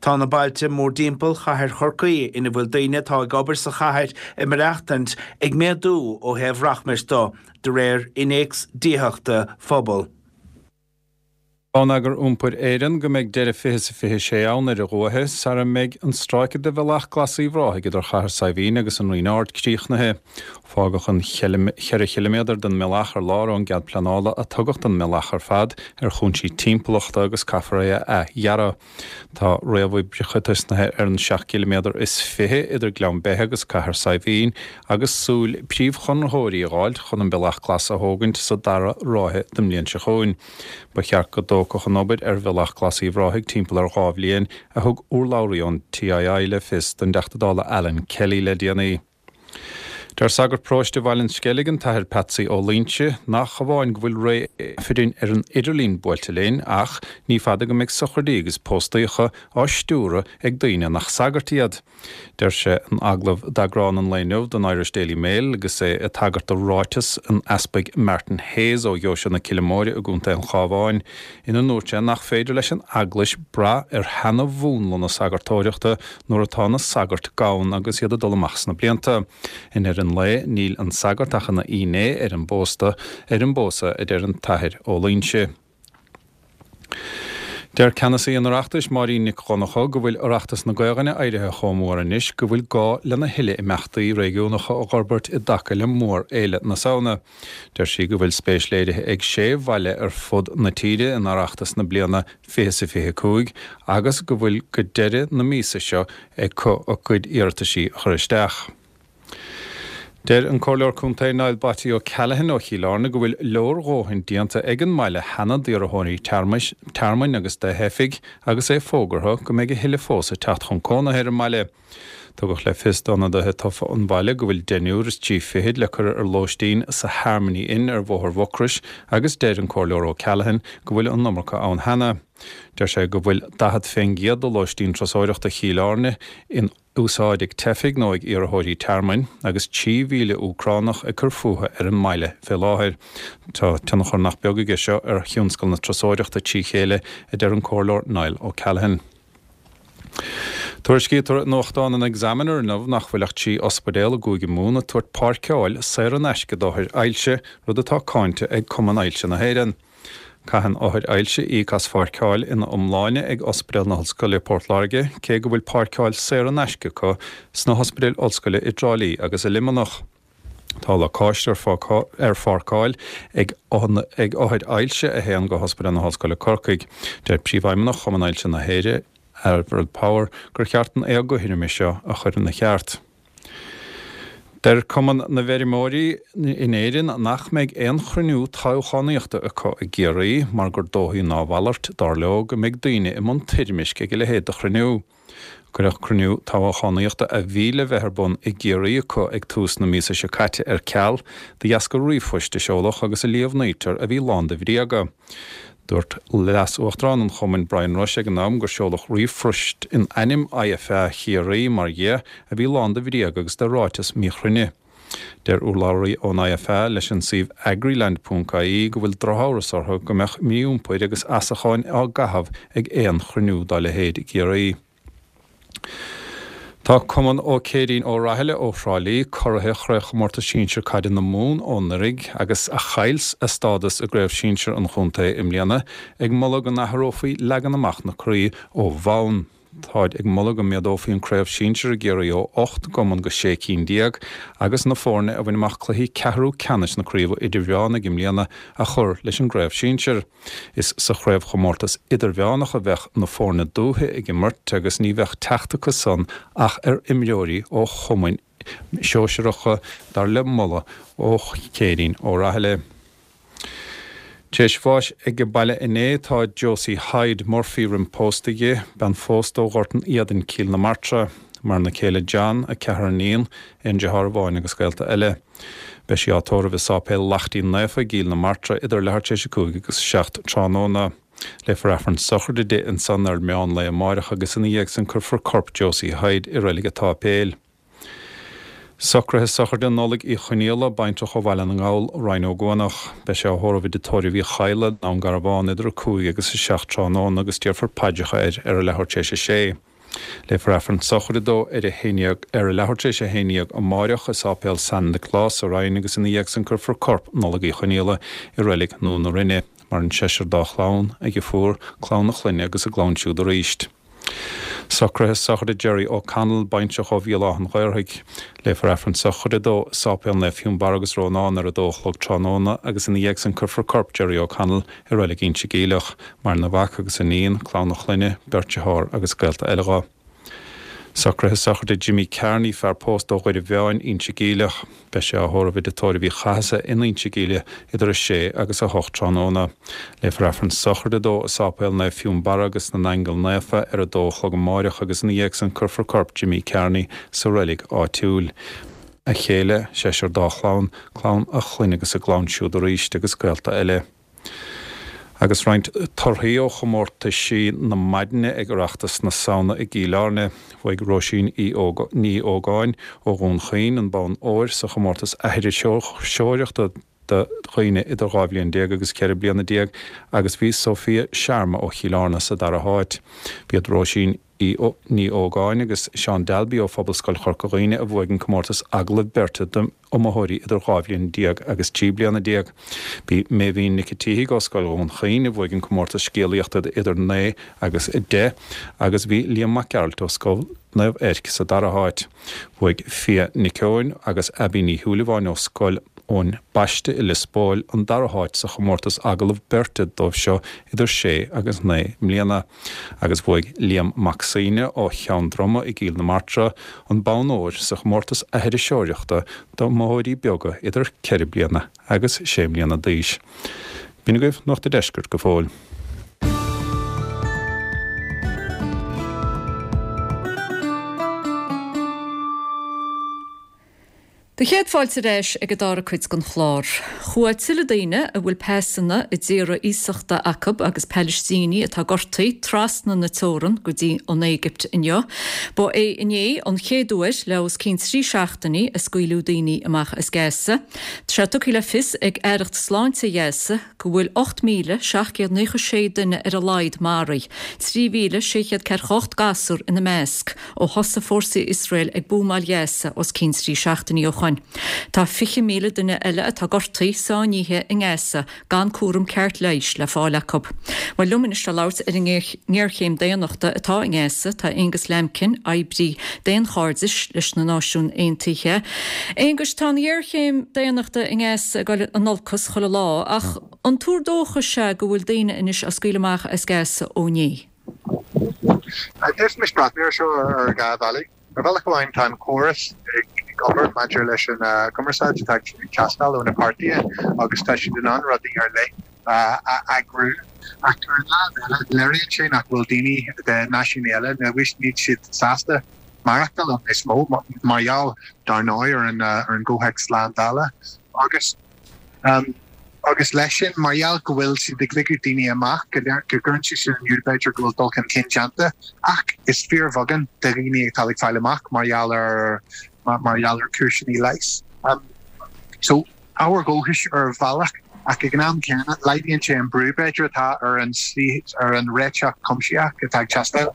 Speaker 19: Tá na bailte mórdtimpeall chathair Chorcaí ina bhfuil daoine atá ag obair sa chathair ag maireachtaint ag méadú ó thaobh rachmais do, de réir Innéacs Díothachta Phobal.
Speaker 18: Bonneagar Iompair Éireann go mbeidh deireadh 20 is 26 ann ar a luaithe sara mbeidh an stráice de Bhealach Glas Uíbh Ráthaigh idir Chathair Saidhbhín agus an Rinn Ard críochnaithe. Fágadh an cheithre chiliméadar den mbealach ar lár ón gcead pleanála a tugadh don mbealach ar fad ar chúinsí timpeallachta agus caithfear é a athdhearadh. Tá réamhoibreacha tosnaithe ar an seacht gciliméadar is fiche idir Gleann Beithe agus Cathair Saidhbhín agus súil príomhchonraitheoirí a dh'fháilt chun an Bealach Glas a thógaint sa dara ráithe den mbliain seo chugainn. Ba cheart go dtógfadh an obair ar Bhealach Glas Uíbh Ráthaigh timpeall ar dhá bhliain, a thug urlabhraí ón TII le fios don dTeachta Dála Alan Kelly le déanaí. Deir sagart paróiste Bhaile an Sceilg, an tAthair Patsy Ó Loingsigh, nach amháin go bhfuil ré Aifrinn ar an idirlíon buailte linn ach ní fada go mbeidh sochraidí agus póstaíocha á stiúradh ag daoine nach sagairt iad. Deir sé in agallamh d'eagrán an lae inniu den Irish Daily Mail agus é ag tagairt do ráiteas an Easpaig Martin Hayes ó Dheoise na Cille Móire i gContae an Chabháin ina ndúirt sé nach féidir leis an Eaglais brath ar sheana-mhúnla na sagartóireachta nuair atá na sagairt gann agus iad ag dul amach sna blianta. I ndeireadh an lae, níl an sagart ach ina fhinné ar an bpósta, ar an bpósadh, a deir an tAthair Ó Loingsigh. Deir ceannasaí an Oireachtais, Máirín Nic Dhonncha, go bhfuil Oireachtas na Gaelainne éirithe chomh mór anois go bhfuil gá lena thuilleadh imeachtaí réigiúnacha a dh'fhorbairt i dtaca le mórfhéile na Samhna. Deir sí go bhfuil spéis léirithe ag sé bhaile ar fud na tíre in Oireachtas na bliana 20 is 25 agus go bhfuil go deireadh na míosa seo acu a gcuid iarrataisí a chur isteach. Deir an Comhairleoir Contae Niall 'Batty' O'Callaghan ó Chill Airne go bhfuil leordhóthain déanta ag an mbaile cheana d'iarrthóirí tearmainn agus do theifigh agus é fógartha go mbeidh a thuilleadh fós ag teacht chun cónaithe ar an mbaile. Tugadh le fios d'ionadaithe tofa an bhaile go bhfuil deichniúr is trí fichid le cur ar lóistín sa Harmony Inn ar Bhóthar Mhucrois agus deir an Comhairleoir O'Callaghan go bhfuil an iomarca ann cheana. Deir sé go bhfuil 40 fén gcéad de lóistín turasóireachta Chill Airne in úsáid ag teifigh nó ag iarrthóirí tearmainn, agus 3,000 Úcránach ag cur fúthu ar an mbaile fé láthair. Tá tionchar nach beag aige seo ar thionscal na turasóireachta trí chéile, a deir an Comhairleoir Niall O'Callaghan. Tuairiscítear i nuachtán an Examiner inniu nach bhfuil ach 3 ospidéal i gCúige Mumhan ag tabhairt páirceáil saor in aisce d'othair ailse, rud atá cáinte ag Cumann Ailse na hÉireann. Caitheann othair ailse íoc as pháirceáil ina iomláine ag Ospidéal na hOllscoile Port Láirge, cé go bhfuil páirceáil saor in aisce acu sna hospidéil ollscoile i dTrá Lí agus i Luimneach. Tá lacáiste ar pháirceáil ag othair ailse a théann go hOspidéal na hOllscoile Corcaigh. Deir Príomhfheidhmeannach Chumann Ailse na hÉireann, Avril Power, gur cheart an éagothroime seo a chur ina cheart. Deir Cumann na bhFeirmeoirí in Éirinn nach mbeidh aon chruinniú toghchánaíochta acu i gCiarraí mar gur dóichí ná a mhalairt, dar leo, go mbeidh daoine i mbun toirmisc ag a leithéid de chruinniú. Cuireadh cruinniú toghchánaíochta a bhí le bheith ar bun i gCiarraí acu ag tús na míosa seo caite ar ceal de dheasca ríomhphoist a seoladh agus a líomhnaítear a bhí lán de bhréaga. Dúirt Leas-Uachtarán an chumainn Brian Rush ag an am gur seoladh ríomhphost in ainm IFA Chiarraí, mar dhea, a bhí lán de bhréaga agus de ráiteas míchruinne. Deir urlabhraí ón IFA leis an suíomh agriland ponc ie go bhfuil drochamhras orthu go mbeadh mí-iompair agus asacháin á gcaitheamh ag aon chruinniú dá leithéid i gCiarraí. Tá Cumann Ó Céirín Ó Rathaille ó Thrá Lí, curaithe Chraobhchomórtas Sinsir Caide na Mumhan ó anuraidh agus a chaill a stádas i gCraobh Sinsir an chontae i mbliana, ag moladh go n-athrófaí leagan amach na craoibhe ó bhonn. Táid ag moladh go méadófaí an Craobh Sinsir i gCiarraí ó 8 gcumann go 16 cinn agus na foirne a bhain amach cluichí ceathrú ceannais na Craoibhe Idirmheánaigh i mbliana a chur leis an gCraobh Sinsir. Is sa chraobhchomórtas idirmheánach a bheadh na foirne dúiche ag imirt agus ní bheadh teacht acu san ach ar imreoirí ó chumainn shóisearacha, dar le moladh ó Chéirín Ó Rathaille. Tar éis bháis ag baile inné tá Josie Hyde Murphy roim pósta di, bean phósta ó Ghort an Éadain, Cill na Martra. Maireann a céile John, a ceathrar iníon, aon deartháir amháin agus gaolta eile. Beidh sí á tórramh i Sáipéal Laichtín Naofa i gCill na Martra idir leathuair tar éis 5 agus 7 tráthnóna. Léifear Aifreann sochraide di ansan ar meán lae amáireach agus ina dhiaidh san cuirfear corp Josie Hyde i Reilig an tSáipéil. Socruithe sochraide Nollaig Uí Chonaola, baintreach ó Bhaile na nGall, Rinn Ó gCuanach. Beidh sé á thórramh i dTigh Tórraimh Uí Chadhla, Dún Garbhán idir 5 agus 7 tráthnóna agus déarfar paidreacha air ar a leathuair tar éis 6. Léifear Aifreann sochraide dó ar a haon dhéag ar a leathuair tar éis a haon dhéag amáireach i Sáipéal San Nioclás sa Rinn agus ina dhiaidh san cuirfear corp Nollaig Uí Chonaola i Reilig Nua na Rinne. Maireann seisear dá chlann, a dheirfiúr, clann a chlainne agus a gclann siúd arís. Socruithe sochraide Gerry O'Connell, baintreach ó Bhéal Átha an Ghaorthaidh. Léifear Aifreann sochraide dó i Sáipéal Naomh Fionnbarra agus Rónán ar a dó a chlog tráthnóna agus ina dhiaidh san cuirfear corp Gerry O'Connell i Reilig Inse Geimhleach. Maireann a mhac agus a iníon, clann a chlainne, beirt dearthár agus gaolta eile dho. Socruithe sochraide Jimmy Kearney, fear pósta ó Dhoire Mheáin, Inse Geimhleach. Beidh sé á thórramh i dTigh Tórraimh Uí Chathasaigh in Inse Geimhleach idir 6 agus 8 tráthnóna. Léifear Aifreann sochraide dó i Sáipéal Naomh Fionnbarra agus na nAingeal Naofa ar 2 a chlog amáireach agus ina dhiaidh san cuirfear corp Jimmy Kearney sa reilig áitiúil. A chéile, seisear dá chlann, clann a chlainne agus a gclann siúd arís agus gaolta eile. Agus roinnt torthaí ó chomórtaisí na maidine ag Oireachtas na Samhna i gCill Airne. Bhuaigh Róisín Ní Ógáin ó Dhún Chaoin an bonn óir sa chomórtas aithriseoireachta do dhaoine idir 12 bhliain agus 14 bliana agus bhí Sophia Sharma ó Chill Airne sa dara háit. B'iad Róisín Ní Ógáin agus Seán Dalby ó Phobalscoil Chorca Dhuibhne a bhuaigh an comórtas agallamh beirte d'iomaitheoirí idir 12 bhliain agus 13 bliana. B'í Méibhín Nic a' tSíthigh ó Scoil Dhún Chaoin a bhuaigh an comórtas scéalaíochta idir 9 agus 10 agus bhí Liam Mac Gearailt ó Scoil Naomh Eirc sa dara háit. Bhuaigh Fia Nic Eoin agus Abbie Ní Shúilleabháin ó Scoil. ón bPaiste i Lios Póil an dara háit sa chomórtas agallamh beirte dóibh seo idir sé agus 9 mbliana. Agus bhuaigh Liam Mac Suibhne ó Cheann Droma i gCill na Martra an bonn óir sa chomórtas aithriseoireachta d'iomaitheoirí beaga idir 4 bliana agus 6 mbliana d'aois. B'in agaibh Nuacht a' Deiscirt go fóill.
Speaker 1: Do chéad fáilte ar ais ag an dara cuid den chlár. Chuaigh tuilleadh daoine a bhfuil pasanna i dtíortha iasachta acu agus Palaistínigh atá gortaithe trasna na teorann go dtí an Éigipt inniu. Ba é inné an chéad uair le os cionn 3 seachtainí a scaoileadh daoine amach as Gaza. Tá sé tugtha le fios ag Aireacht Sláinte Ghaza go bhfuil 8,796 duine ar a laghad maraithe, 3,648 gasúr ina measc. Ó thosaigh fórsaí Iosrael ag buamáil Ghaza os cionn 3 seachtainí ó shoin, tá 20,000 duine eile atá gortaithe, sáinnithe i nGaza gan cúram ceart leighis le fáil acu. Bhuel, liom anois le labhairt ar an ngéarchéim daonnachta atá i nGaza tá Aonghus Lambkin, oibrí daonchairdis leis na Náisiúin Aontaithe. Aonghus, tá an ghéarchéim daonnachta i nGaza ag dul in olcas chuile lá, ach an tuar dóchais é go bhfuil daoine anois á scaoileadh amach as Gaza ó inné?
Speaker 14: D'fhéadfaimis breathnú air seo ar dhá bhealaigh. Ar bhealach amháin, tá an córas ag obair maidir leis an gcumarsáid atá ag teastáil ó na páirtithe agus tá siad in ann rudaí ar leith a eagrú. Ach ar an lámh eile, léiríonn sé nach bhfuil daoine de náisiúin eile, níl siad sásta maireachtáil ann níos mó, mar gheall, dar ndóigh, ar an gcomhthéacs slándála agus. Agus leis sin, mar gheall go bhfuil siad ag ligeadh daoine amach, go gcuireann sé sin in iúl, b'fhéidir, go bhfuil dul chun cinn déanta, ach is fíorbheagán de dhaoine atá ag fáil amach mar gheall ar mar gheall ar chúiseanna leighis. So, ábhar dóchais ar bhealach, ach ag an am céanna, laghdaíonn sé an brú, b'fhéidir, atá ar an ar an réiteach cuimsitheach atá ag teastáil.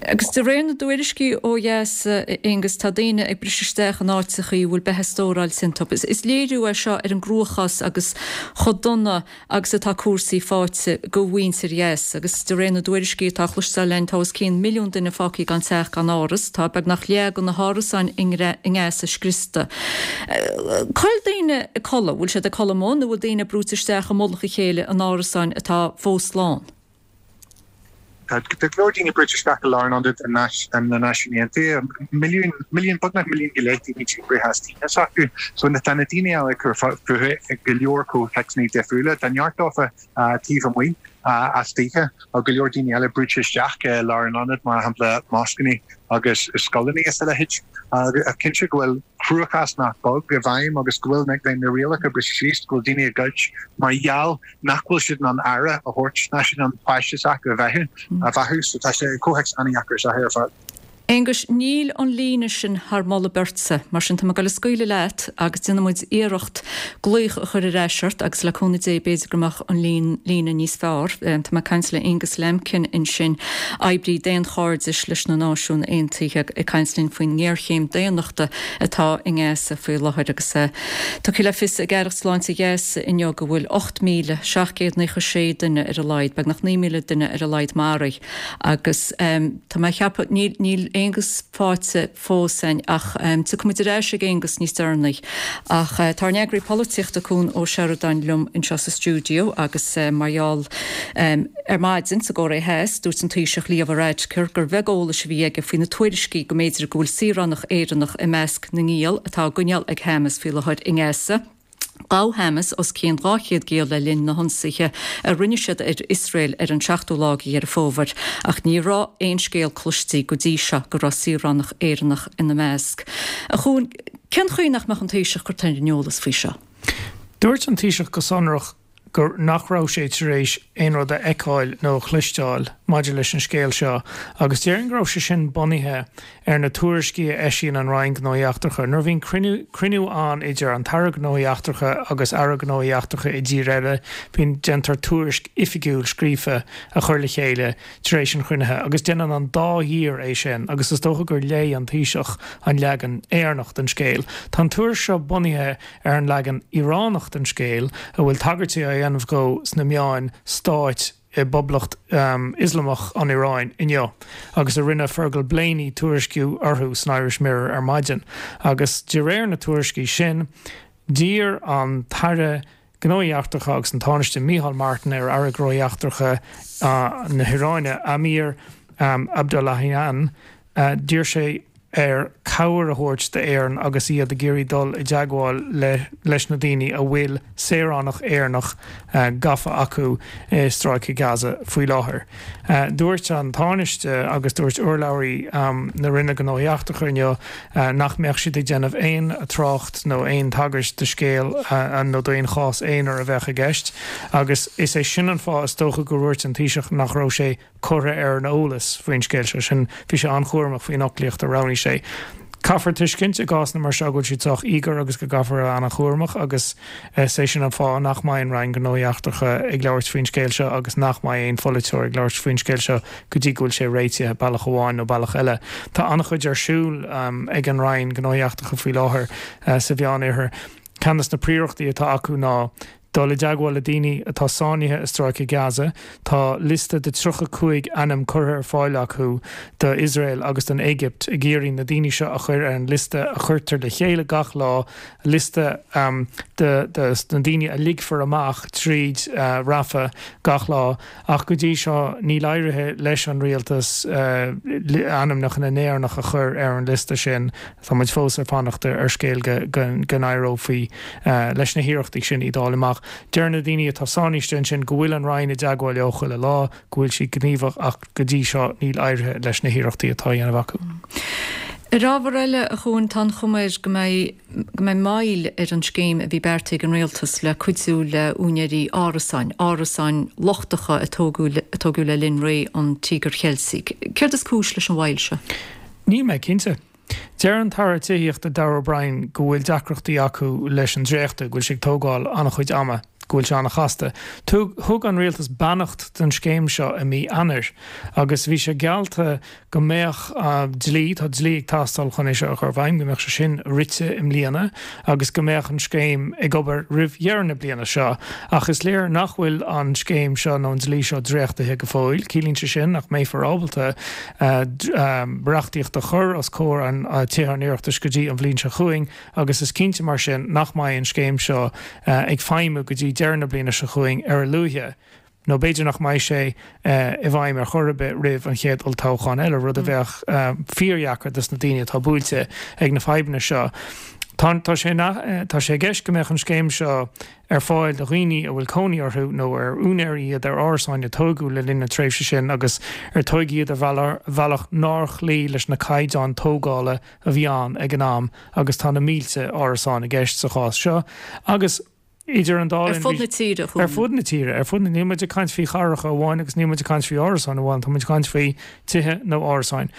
Speaker 1: Agus de réir na dtuairiscí ó dheas, a Aonghus, tá daoine ag briseadh isteach in áiteachaí a bhfuil beatha stóráilte iontu. Is léiriú é seo ar an gcruachás agus chomh dona agus atá cúrsaí faighte do mhuintir Ghaza. Agus de réir na dtuairiscí atá á chloisteáil againn, tá os cionn milliún duine fágtha gan teach gan áras. Tá beagnach leath de na hárasáin i nGaza scriosta. Cá bhfuil daoine ag codladh? Bhfuil siad ag codladh amuigh nó bhfuil daoine brúite isteach i mullach a chéile in árasáin atá fós slán?
Speaker 14: Tá go leor daoine brúite isteach i lárionaid na Náisiún Aontaithe, milliún, milliún, beagnach milliún go leith daoine díbrithe as tithe s'acu. So tá na daoine eile ag cur fúthu i go leor comhthéacsanna difriúla. Tá neart dófa taobh amuigh as tithe, tá go leor daoine eile brúite isteach i lárionaid, mar shampla moscanna agus scoileanna is a leithéid. Cinnte go bhfuil cruachás nach beag i bhfeidhm agus go bhfuil na rialacha briste síos, go bhfuil daoine ag goid mar gheall nach bhfuil siad in ann aire a thabhairt, nach siad in ann páiste s'acu a bheathú, a bheathú. So tá sé comhthéacs an-dheacair is ea ar fad.
Speaker 1: Aonghus, níl an líne sin thar moladh beirte, mar sin tá mé ag dul a scaoileadh leat agus déanfaidh muid iarracht glaoch a chur ar ais ort agus le cúnamh Dé b'fhéidir go mbeadh an líne níos fearr. Tá mé ag caint le Aonghus Lambkin ansin, oibrí daonchairdis leis na Náisiúin Aontaithe, ag caint linn faoin ngéarchéim daonnachta atá i nGaza faoi láthair agus Tugtha le fios ag Aireacht Sláinte Ghaza inniu go bhfuil 8,796 duine ar a laghad, beagnach 9,000 duine ar a laghad maraithe agus tá mé ag ceapadh, níl, níl Aonghus faighte fós againn ach tiocfaidh muid ar ais ag Aonghus níos deireanaí. Ach tá ár n-eagraí polaitíochta Cuan Ó Seireadáin liom anseo sa stiúideo agus mar gheall ar maidin sa gCóiré Theas dúirt an Taoiseach Leo Varadkar gur bheag eolais a bhí aige faoi na tuairiscí go mb'fhéidir go bhfuil saoránach Éireannach i measc na ngiall atá á gcoinneáil ag Hamas faoi láthair i nGaza. Ghabh Hamas os cionn 200 giall le linn na hionsaithe a rinne siad ar Iosrael ar an seachtú lá de Dheireadh Fómhair, ach ní raibh aon scéal cloiste go dtí seo go raibh saoránach Éireannach ina measc. A Chuain, cén chaoi nach mbeadh an Taoiseach curtha ar an eolas faoi seo?
Speaker 20: Dúirt an Taoiseach go sonrach gur nach raibh sé tar éis aon rud a fheiceáil nó a chloisteáil maidir leis an scéal seo agus déarfainn go raibh sé sin bunaithe ar na tuairiscí a eisíonn an Roinn Gnóthaí Eachtracha. Nuair a bhíonn cruinniú cruinniú ann idir an tAire Gnóthaí Eachtracha agus Aire Gnóthaí Eachtracha i dtír eile, bíonn déantar tuairisc oifigiúil scríofa a chur le chéile tar éis an chruinnithe agus déanann an dá thír é sin agus is dócha gur léigh an Taoiseach an leagan Éireannach den scéal. Tá an tuairisc seo bunaithe ar an leagan Iaránach den scéal, a bhfuil tagairtí á dhéanamh dhó sna meáin stáit i bPoblacht Ioslamach an Iaráin inniu, agus a rinne Fergal Blaney tuairisciú orthu san Irish Mirror ar maidin. Agus de réir na tuairiscí sin. D'iarr an tAire Gnóthaí Eachtracha agus an Tánaiste Micheál Martin ar Aire Gnóthaí Eachtracha na hIaráine, Amir Abdollahian, d'iarr sé air cabhair a thabhairt d'Éirinn agus iad ag iarraidh dul i dteagmháil leis na daoine a bhfuil saoránach Éireannach gafa acu i Stráice Gaza faoi láthair. Dúirt an Tánaiste agus dúirt urlabhraí na Roinne Gnóthaí Eachtracha inniu nach mbeadh siad ag déanamh aon trácht nó aon tagairt do scéal nó d'aon chás aonair a bheadh i gceist agus is é sin an fáth is dócha gur dhúirt an Taoiseach nach raibh sé curtha ar an eolas faoin scéal seo. Sin, bhí sé an-chúramach faoin fhoclaíocht a roghnaigh sé. Caithfear tuiscint i gcásanna mar seo go bhfuil siad sách íogair agus go gcaithfear a bheith an-chúramach agus is é sin an fáth nach mbeidh an Roinn Gnóthaí Eachtracha ag labhairt faoin scéal seo agus nach mbeidh aon pholaiteoir ag labhairt faoin scéal seo go dtí go bhfuil sé réitithe bealach amháin nó bealach eile. Tá an-chuid ar siúl ag an Roinn Gnóthaí Eachtracha faoi láthair sa Mheánoirthear. Ceann de na príorachtaí atá acu ná dul i dteagmháil le daoine atá sáinnithe i Stráice Gaza. Tá liosta de 35 ainm curtha ar fáil acu do Iosrael agus don Éigipt ag iarraidh na daoine seo a chur ar an liosta a chuirtear le chéile gach lá, liosta de na daoine a ligfear amach tríd Rafah gach lá. Ach go dtí seo níl éirithe leis an rialtas ainmneacha na nÉireannach a chur ar an liosta sin. Tá muid fós ag fanacht ar scéal go n-éireofaí leis na hiarrachtaí sin iad a fháil amach. Deir na daoine atá sáinnithe ansin go bhfuil an Roinn i dteagmháil leo chuile lá, go bhfuil siad gníomhach ach go dtí seo níl éirithe leis na hiarrachtaí atá á dhéanamh acu.
Speaker 1: Ar ábhar eile, a Chuain, tá an chuma air go mbeidh go mbeidh moill ar an scéim a bhí beartaithe ag an Rialtas le cuidiú le úinéirí árasáin, árasáin lochtacha a tógadh a tógadh le linn ré an Tíogair Cheiltigh. Céard is cúis leis an mhoill seo?
Speaker 20: Níl mé cinnte. Deir an tAire Tithíochta Darragh O'Brien go bhfuil deacrachtaí acu leis an dréachtú, go bhfuil sé ag tógáil an-chuid ama, go bhfuil sé an-chasta. Thug an Rialtas beannacht don scéim seo i mí Eanáir agus bhí sé geallta go mbeadh dlí, tá dlí ag teastáil chun é seo a chur i bhfeidhm, go mbeadh sé sin rite i mbliana agus go mbeadh an scéim ag obair roimh dheireadh na bliana seo. Ach is léir nach bhfuil an scéim seo nó an dlí seo dréachtaithe go fóill. Ciallaíonn sé sin nach mbeifear ábalta reachtaíocht a chur os comhair an Tithe an Oireachtais go dtí an bhliain seo chugainn agus is cinnte mar sin nach mbeidh an scéim seo ag feidhmiú go dtí deireadh na bliana seo chugainn ar a luaithe, nó b'fhéidir nach mbeidh sé i bhfeidhm ar chor ar bith roimh an chéad olltoghchán eile, rud a bheadh fíordheacair dos na daoine atá buailte ag na fadhbanna seo. Tá sé tá sé i gceist go mbeadh an scéim seo ar fáil do dhaoine a bhfuil cónaí orthu nó ar úinéirí iad ar árasáin a tógadh le linn na tréimhse sin agus ar tógadh iad ar bhealach nár chloígh leis na caighdeáin tógála a bhí ann ag an am agus tá na mílte árasán i gceist sa chás seo agus idir an dá
Speaker 1: linn. Ar fud na tíre,
Speaker 20: Ar fud na tíre, ar fud na, níl muid ag caint faoi chathracha amháin agus níl muid ag caint faoi árasáin amháin, tá muid ag caint faoi tithe nó árasáin.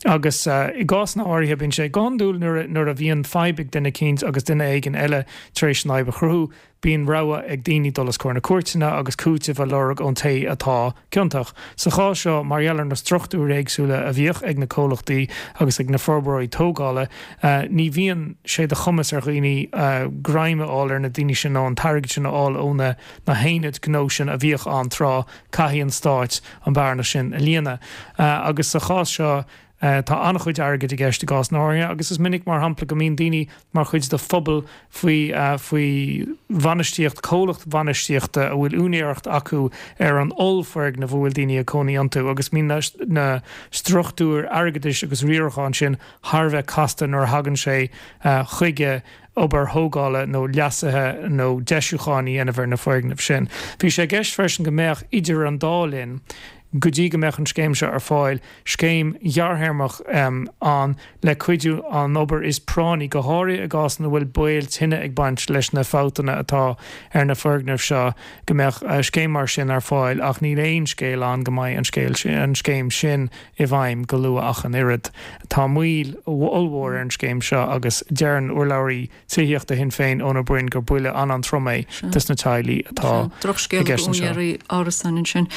Speaker 20: Agus i gcásanna áirithe bíonn sé go hiondúil nuair nuair a bhíonn fadhb ag duine eicínt agus duine éigin eile tar éis an fhadhb a chruthú, bíonn rogha ag daoine dul os comhair na cúirteanna agus cúiteamh a lorg ón té atá ciontach. Sa chás seo, mar gheall ar na struchtúir éagsúla a bhíodh ag na comhlachtaí agus ag na forbróirí tógála, ní bhíonn sé de chumas ar dhaoine greim a fháil ar na daoine sin nó an t-airgead sin a fháil ó na na haonaid gnó sin a bhíodh ann tráth. Caithfidh an Stát an bearna sin a líonadh. Agus sa chás seo, tá an-chuid airgid i gceist i gcásanna áirithe agus is minic, mar shampla, go mbíonn daoine mar chuid de phobal faoi faoi bhainistíocht, comhlacht bhainistíochta a bhfuil úinéireacht acu ar an ollfhoirgneamh a bhfuil daoine ag cónaí iontu agus bíonn na struchtúir airgeadais agus riaracháin sin thar a bheith casta nuair a thagann sé chuige obair thógála nó leasuithe nó deisiúcháin a dhéanamh ar na foirgnimh sin. Bhí sé i gceist freisin go mbeadh idir an dá linn, go dtí go mbeadh an scéim seo ar fáil, scéim ghearrthéarmach ann le cuidiú an obair is práinní, go háirithe i gcás ina bhfuil baol tine ag baint leis na fabhtanna atá ar na foirgnimh seo, go mbeadh scéim mar sin ar fáil ach níl aon scéal ann go mbeidh an scéim sin i bhfeidhm go luath ach an oiread. Tá moill ollmhór ar an scéim seo agus deireann urlabhraí tithíochta Shinn Féin, Eoin Ó Broin, gur buille an-an-trom é dos na teaghlaigh atá i
Speaker 1: gceist anseo. Drochscéal d'úinéirí árasáin ansin.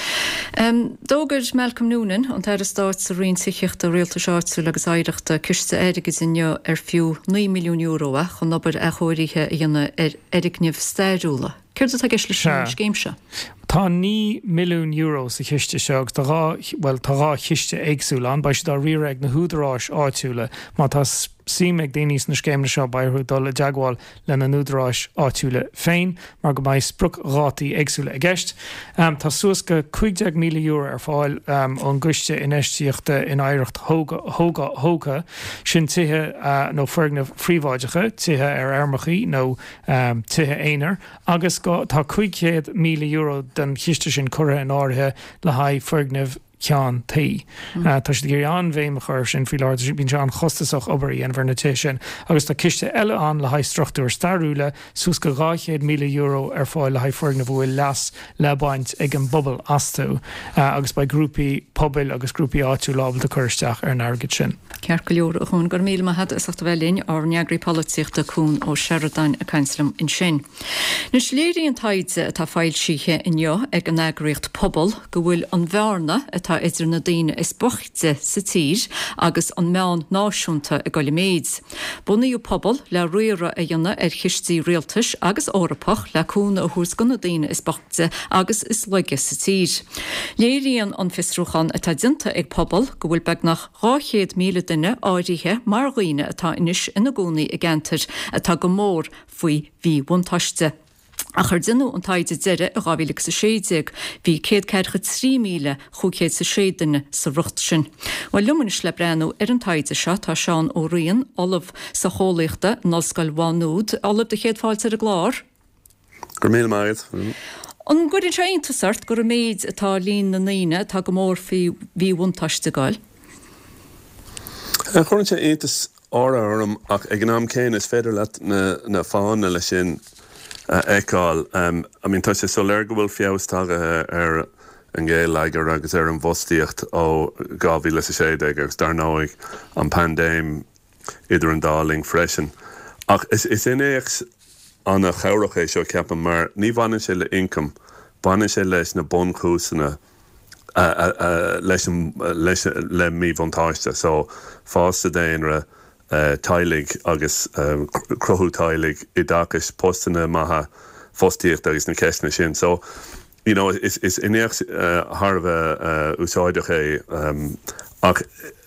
Speaker 1: D'fhógair Malcolm Noonan, an tAire Stáit sa Roinn Tithíochta, Rialtais Áitiúil agus Oidhreachta, ciste airgid inniu ar fiú €9 milliún é chun obair athchóirithe a dhéanamh ar fhoirgnimh stairiúla. Céard atá i gceist leis an scéim seo?
Speaker 20: Tá €9 milliún sa chiste seo agus tá bhuel, tá dhá chiste éagsúla ann. Beidh siad á riaradh ag na húdaráis áitiúla. Má tá. suim ag daoine sna scéimeanna seo beidh orthu dul i dteagmháil lena n-údaráis áitiúla féin mar go mbeidh spriocdhátaí éagsúla i gceist. Tá suas go €15,000 ar fáil ón gCoiste Infheistíochta in Oidhreacht Thógtha, sin tithe nó foirgnimh phríobháideacha, tithe ar fheirmeachaí nó tithe aonair, agus tá €500,000 den chiste sin curtha in áirithe le haghaidh foirgnimh ceann tuí. Tá siad ag iarraidh an-bhéim a chur air sin faoi láthair. Bíonn sé an-chostasach obair a dhéanamh ar na tithe sin agus tá ciste eile ann le haghaidh struchtúir stairiúla, suas go €200,000 ar fáil le haghaidh foirgnimh a bhfuil leas le baint ag an bpobal astu agus beidh grúpaí pobail agus grúpaí áitiúla ábalta cur isteach ar an airgead sin.
Speaker 1: Ceart go leor, a Chuan, go raibh míle maith agat as ucht a bheith linn, ár n-eagraí polaitíochta Cuan Ó Seireadáin ag caint liom ansin. Anois, léiríonn taighde atá foilsithe inniu ag an eagraíocht Pobal go bhfuil an bhearna atá idir na daoine is boichte sa tír agus an meán náisiúnta ag dul i méid. Bunaíodh Pobal le riaradh a dhéanamh ar chistí rialtais agus Eorpach le cúnamh a thabhairt do na daoine is boichte agus is laige sa tír. Léiríonn an fiosrúchán atá déanta ag Pobal go bhfuil beagnach 200,000 duine áirithe mar dhaoine atá anois ina gcónaí i gceantair atá go mór faoi mhíbhuntáiste. Ach ar deineadh an taighde deiridh i 2016, bhí 143,506 duine sa riocht sin. Bhuel, liom anois le breathnú ar an taighde seo tá Seán Ó Riain, Ollamh Socheolaíochta in Ollscoil Mhá Nuad. Ollamh, do chéad fáilte ar an gclár.
Speaker 21: Go raibh míle maith agat.
Speaker 1: An gcuireann sé iontas ort gur i méid atá líon na ndaoine atá go mór faoi mhíbhuntáiste ag dul?
Speaker 21: Cuireann sé iontas áirithe orm ach ag an am céanna is féidir leat na fáthanna leis sin a fheiceáil. I mean tá sé soiléir go bhfuil feabhas tagaithe ar an ngeilleagar agus ar an bhfostaíocht ó 2016 agus dar ndóigh an paindéim idir an dá linn freisin. Ach is innéacs an-chabhrach é seo ceapaim mar ní bhaineann sé le ioncam, baineann sé leis na bunchúiseanna leis an, leis, le míbhuntáiste. So, fás sa daonra, teaghlaigh agus cruthú teaghlaigh, oideachais, postanna maithe, fostaíocht agus na ceisteanna sin. So, you know, is, is innéacs thar a bheith úsáideach é ach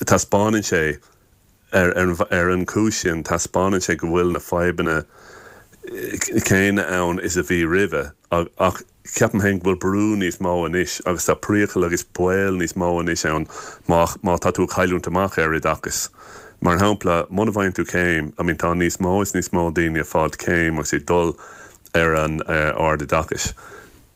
Speaker 21: taispeánann sé, Ar an chúis sin, taispeánann sé go bhfuil na fadhbanna céanna ann is a bhí roimhe, ach ceapaim féin go bhfuil brú níos mó anois agus tá priacal agus baol níos mó anois ann má tá tú ag cailliúint amach ar oideachas. Mar shampla, muna bhfaigheann tú céim, I mean tá níos mó is níos mó daoine ag fáilt céim agus ag dul ar an ardoideachais.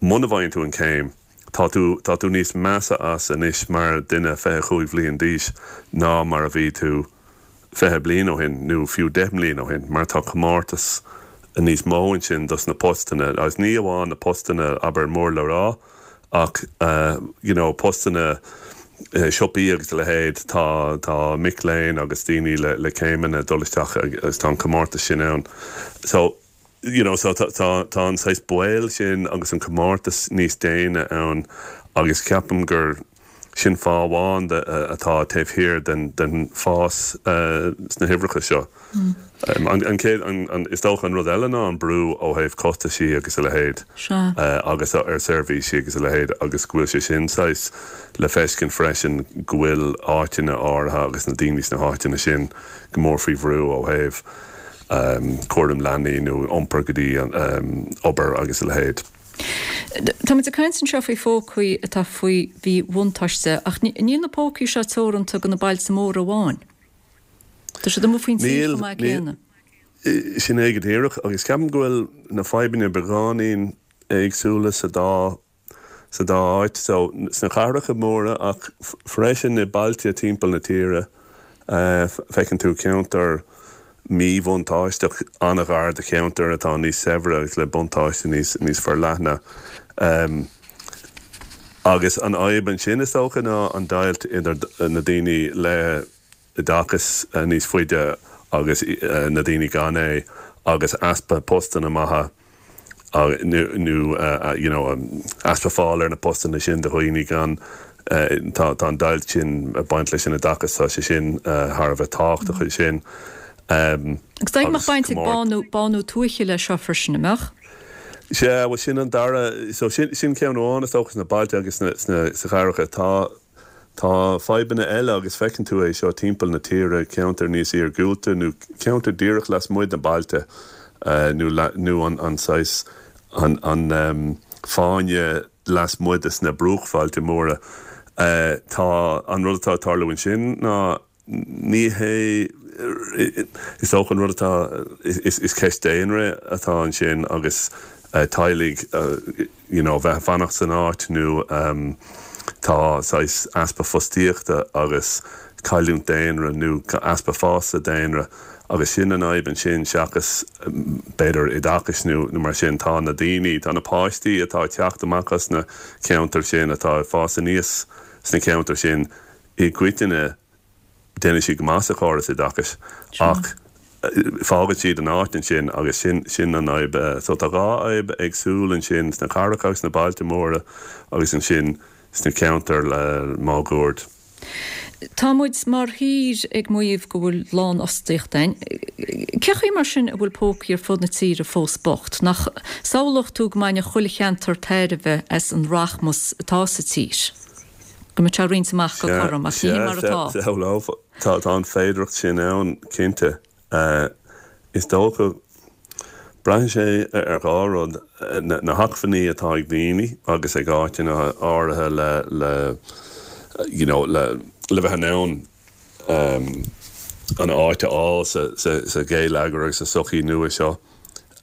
Speaker 21: Muna bhfaigheann tú an céim, Tá tú, tá tú níos measa as anois mar duine 25 bhliain d'aois ná mar a bhí tú 20 bliain ó shin nó fiú 10 mbliain ó shin mar tá comórtas níos mó ansin dos na postanna agus ní amháin na postanna abair mór le rá ach you know postanna siopaí agus a leithéid, tá, tá mic léinn agus daoine le, le céimeanna ag dul isteach agus tá an comórtas sin ann. So. you know so tá tá an saghas baol sin agus an comórtas níos déine ann agus ceapaim gur sin fáth amháin de atá taobh thiar den den fás sna huimhreacha seo. An an chéad an an is dócha an rud eile ná an brú ó thaobh costaisí agus a leithéid agus ar seirbhísí agus a leithéid agus go bhfuil sé sin saghas le feiscint freisin go bhfuil áiteanna áirithe agus na daoine sna háiteanna sin go mór faoi bhrú ó thaobh cúram leanaí nó iompar go dtí an obair agus a leithéid.
Speaker 1: Táimid ag caint anseo faoi phócaí atá faoi mhíbhuntáiste ach níl na pócaí seo teoranta do na bailte móra amháin. Tá siad amuigh faoin tuath chomh maith céanna.
Speaker 21: Sin é go díreach agus ceapaim go bhfuil na fadhbanna beagáinín éagsúla sa dá sa dá áit, so sna cathracha móra ach freisin i bailte timpeall na tíre, feiceann tú ceantar míbhuntáisteach an-ghar do cheantar atá níos saibhre agus le buntáiste níos níos forleithne. Agus an fhadhb ansin is dócha ná an deighilt idir na daoine le oideachas níos faide agus na daoine gan é agus easpa postanna maithe nó you know easpa fáil ar na postanna sin do dhaoine gan tá tá an deighilt sin ag baint leis an oideachas tá sé sin thar a bheith tábhachtach ansin
Speaker 1: Agus dóigh go mbeadh baint ag bánú bánú tuaithe leis seo freisin, an mbeadh?
Speaker 21: Sea, bhuel sin an dara so sin sin ceann amháin is dócha sna bailte agus sna sna sa chathracha tá. Tá fadhbanna eile agus feiceann tú é seo timpeall na tíre, ceantair níos iargúlta nó ceantair díreach lasmuigh de bailte nó nó an an saghas an an fáinne lasmuigh de sna bruachbhailte móra. Tá an rud atá ag tarlú ansin ná Ní hé, is dócha an rud atá, is ceist daonra atá ansin agus teaghlaigh you know bheith ag fanacht san áit nó tá saghas easpa fostaíochta agus cailliúint daonra nó easpa fás sa daonra agus sin an fhadhb ansin seachas b'fhéidir oideachais nó mar sin. Tá na daoine, tá na páistí atá ag teacht amach as na ceantair sin, atá ag fás aníos sna ceantair sin, I gcoitinne, déanann siad go maith sa chóras oideachais ach fágann siad an áit ansin agus sin, sin an fhadhb. So tá dhá fhadhb éagsúil ansin, sna cathracha agus sna bailte móra agus ansin sna ceantair máguaird.
Speaker 1: Tá muid mar thír ag maíomh go bhfuil lánfhostaíocht ann. Cé chaoi mar sin a bhfuil pócaí ar fud na tíre fós bocht? Nach samhlódh tú go mbainfeadh chuile cheantar tairbhe as an rachmas atá sa tír? Go mbeadh sé roinnte amach go cothrom, ach ní hin mar atá.
Speaker 21: Sea, tá an féidearthacht sin ann, cinnte. Is dócha, braitheann sé ar dhá rud, na hacmhainní atá ag daoine agus ag áiteanna áirithe le you know le bheith in ann an áit a fháil sa gheilleagar agus sa sochaí nua seo.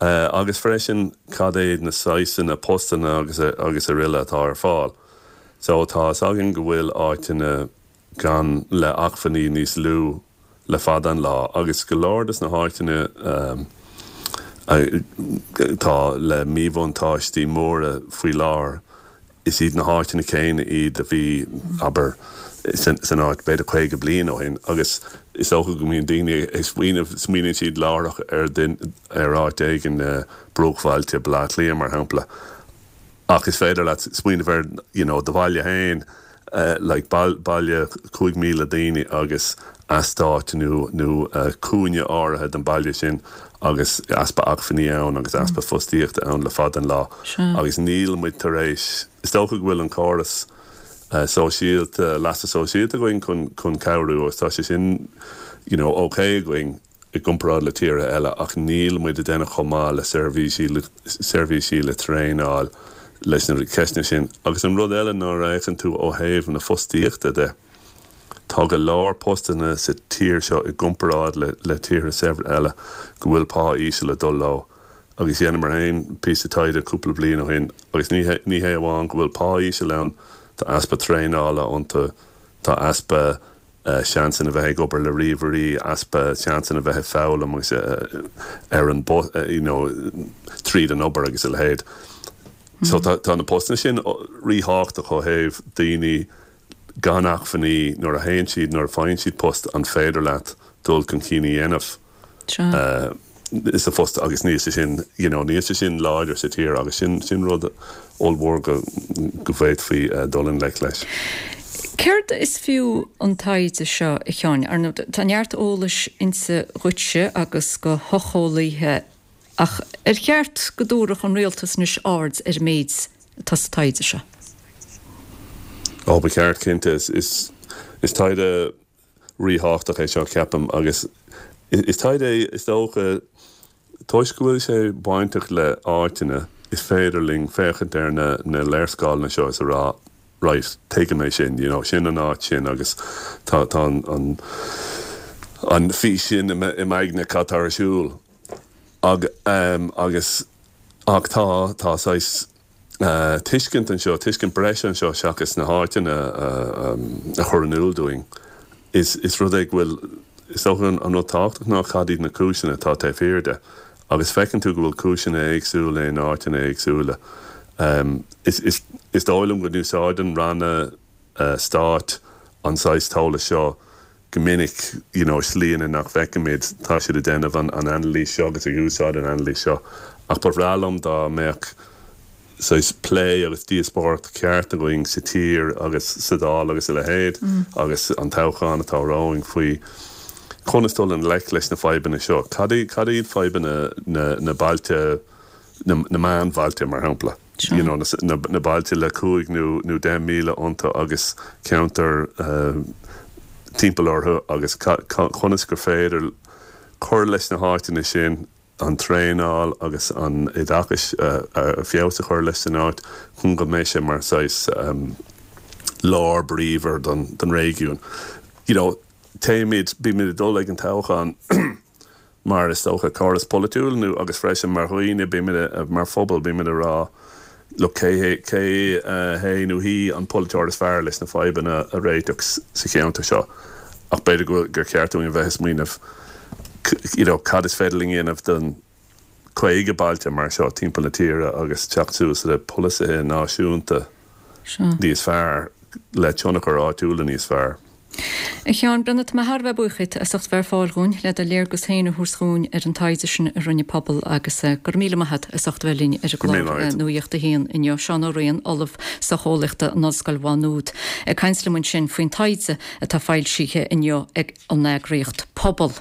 Speaker 21: Agus freisin cad iad na saghsanna postanna agus araile atá ar fáil. So tá fhios againn go bhfuil áiteanna gann le acmhainní níos lú le fada an lá agus go leor des na háiteanna atá le míbhuntáistí móra faoi láthair is iad na háiteanna céanna iad a bhí, abair, san áit b'fhéidir 50 bliain ó shin agus is dócha go mbíonn daoine ag smaoineamh, smaoiníonn siad láithreach ar ar áit éigin, bruachbhailte Baile Átha Cliath mar shampla. Ach is féidir leat smaoineamh ar you know do bhaile féin like baile 5,000 daoine agus eastáit nó nó cúinne áirithe den baile sin agus easpa acmhainní ann agus easpa fostaíochta ann le fada an lá agus níl muid tar éis, is dócha go bhfuil an córas sóisialta, leasa sóisialta againn chun chun cabhrú agus tá sé sin you know ok againn. i gcomparáid le tíortha eile ach níl muid ag déanamh chomh maith le seirbhísí, seirbhísí le traenáil leis na ceisteanna sin. Agus an rud eile nuair a fhéachann tú ó thaobh na fostaíochta de, tá go leor postanna sa tír seo i gcomparáid le le tíortha saibhre eile go bhfuil pá íseal ag dul leo. Agus dheineamar féin píosa taighde cúpla bliain ó shin agus ní hé ní hé amháin go bhfuil pá íseal ann, tá easpa traenála iontu, tá easpa seansanna bheith ag obair le ríomhairí, easpa seansanna bheith ag foghlaim agus ar an you know tríd an obair agus a leithéid. So tá tá na postanna sin ríthábhachtach ó thaobh daoine gan acmhainní nuair a théann siad, nuair a faigheann siad post an féidir leat dul chun cinn a dhéanamh. sa phost agus níl sé sin, you know, níl sé sin láidir sa tír agus sin, sin rud ollmhór go, go bhféadfaí dul i ngleic leis.
Speaker 1: Céard is fiú an taighde seo, a Sheáin? Ar ndóigh, tá neart eolais inti dhuitse agus do shocheolaithe ach ar cheart go dtabharfadh an rialtas anois aird ar an méid atá sa taighde seo?
Speaker 21: Ó, ba cheart, cinnte. Is, is taighde ríthábhachtach é seo, ceapaim, agus is taighde é, is dócha, toisc go bhfuil sé bainteach le áiteanna, is féidir linn féachaint ar na na léarscáileanna seo is a rá, right, tuigim é sin, you know, sin an áit sin agus tá tá an an an fís sin i m'aigne cad tá ar siúl. Ag agus ach tá tá saghas tuiscint anseo, tuiscint breise anseo seachas na háiteanna a chur in iúl dúinn. Is rud é go bhfuil, is dócha an rud tábhachtach ná cad iad na cúiseanna atá taobh thiar de. Agus feiceann tú go bhfuil cúiseanna éagsúla in áiteanna éagsúla. Is dóigh liom go n-úsáideann ranna stáit an saghas t-eolas seo go minic, you know, slíanna nach bhfeicimid, tá siad ag déanamh an anailís seo agus ag úsáid an anailís seo. Ach ba bhreá liom dá mbeadh saghas plé agus díospóireacht ceart againn sa tír agus sa Dáil agus a leithéid agus an toghchán atá romhainn faoi conas dul i ngleic leis na fadhbanna seo. Cad iad fadhbanna na, na bailte, na, na meánbhailte mar shampla? You know, na bailte le 5 nó 10,000 iontu agus ceantar timpeall orthu agus conas gur féidir cur leis na háiteanna sin, an traenáil agus an oideachais a feabhas a chur leis san áit chun go mbeidh sé mar saghas lár bríomhar don réigiún. You know, téimid, bímid ag dul ag an toghchán mar is dócha córas polaitiúil nó agus freisin mar dhaoine, bímid, mar phobal, bímid ag rá look cé hé, cé hé nó hí an polaiteoir is fearr leis na fadhbanna a réiteach sa cheantar seo ach b'fhéidir go bhfuil, gur cheart dúinn a bheith ag smaoineamh you know cad is féidir linn a dhéanamh don 50 bailte mar seo timpeall na tíre agus teacht suas le polasaithe náisiúnta níos fearr le tionchar áitiúla níos fearr.
Speaker 1: A Sheáin Breathnaigh, tá mé thar a bheith buíoch díot as ucht bheith ar fáil dhúinn le do léargas féin a thabhairt dhúinn ar an taighde sin a rinne Pobal agus go raibh míle maith agat as ucht a bheith linn ar an gclár Nuacht a hAon inniu. Seán Ó Riain, Ollamh Socheolaíochta in Ollscoil Mhá Nuad, ag caint liom ansin faoin taighde atá foilsithe inniu ag an eagraíocht Pobal.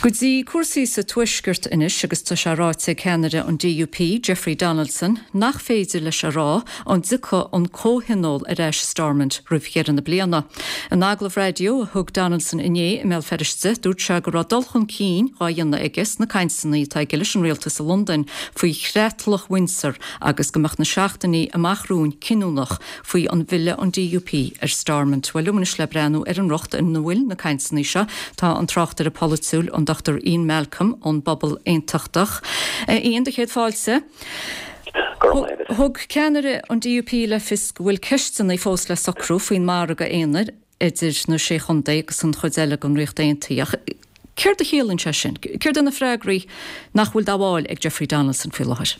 Speaker 1: Go dtí cúrsaí sa Tuaisceart anois agus tá sé ráite ag ceannaire an DUP, Jeffrey Donaldson, nach féidir leis a rá an dtiocfaidh an comhthionól ar ais i Stormont roimh dheireadh na bliana. In agallamh raidió a thug Donaldson inné i mBéal Feirste, dúirt sé go raibh dul chun cinn dhá dhéanamh aige sna cainteanna atá aige leis an rialtas i Londain faoi chreatlach Windsor agus go mbeadh na seachtainí amach romhainn cinniúnach faoi an bhfilleadh an DUP ar Stormont. Bhuel, liom anois le breathnú ar an riocht ina bhfuil na cainteanna seo tá an tráchtaire polaitiúil, an Dr Ian Malcolm ón bPobal Aontachtach. A Ian, do chéad fáilte. Thug ceannaire an DUP le fios go bhfuil ceisteanna fós le socrú faoin margadh aonair idir na Sé Chontae agus an chuid eile den Ríocht Aontaithe. Ach céard a chiallaíonn sé sin? Céard é na freagraí nach bhfuil dá bhfáil ag Jeffrey Donaldson faoi láthair?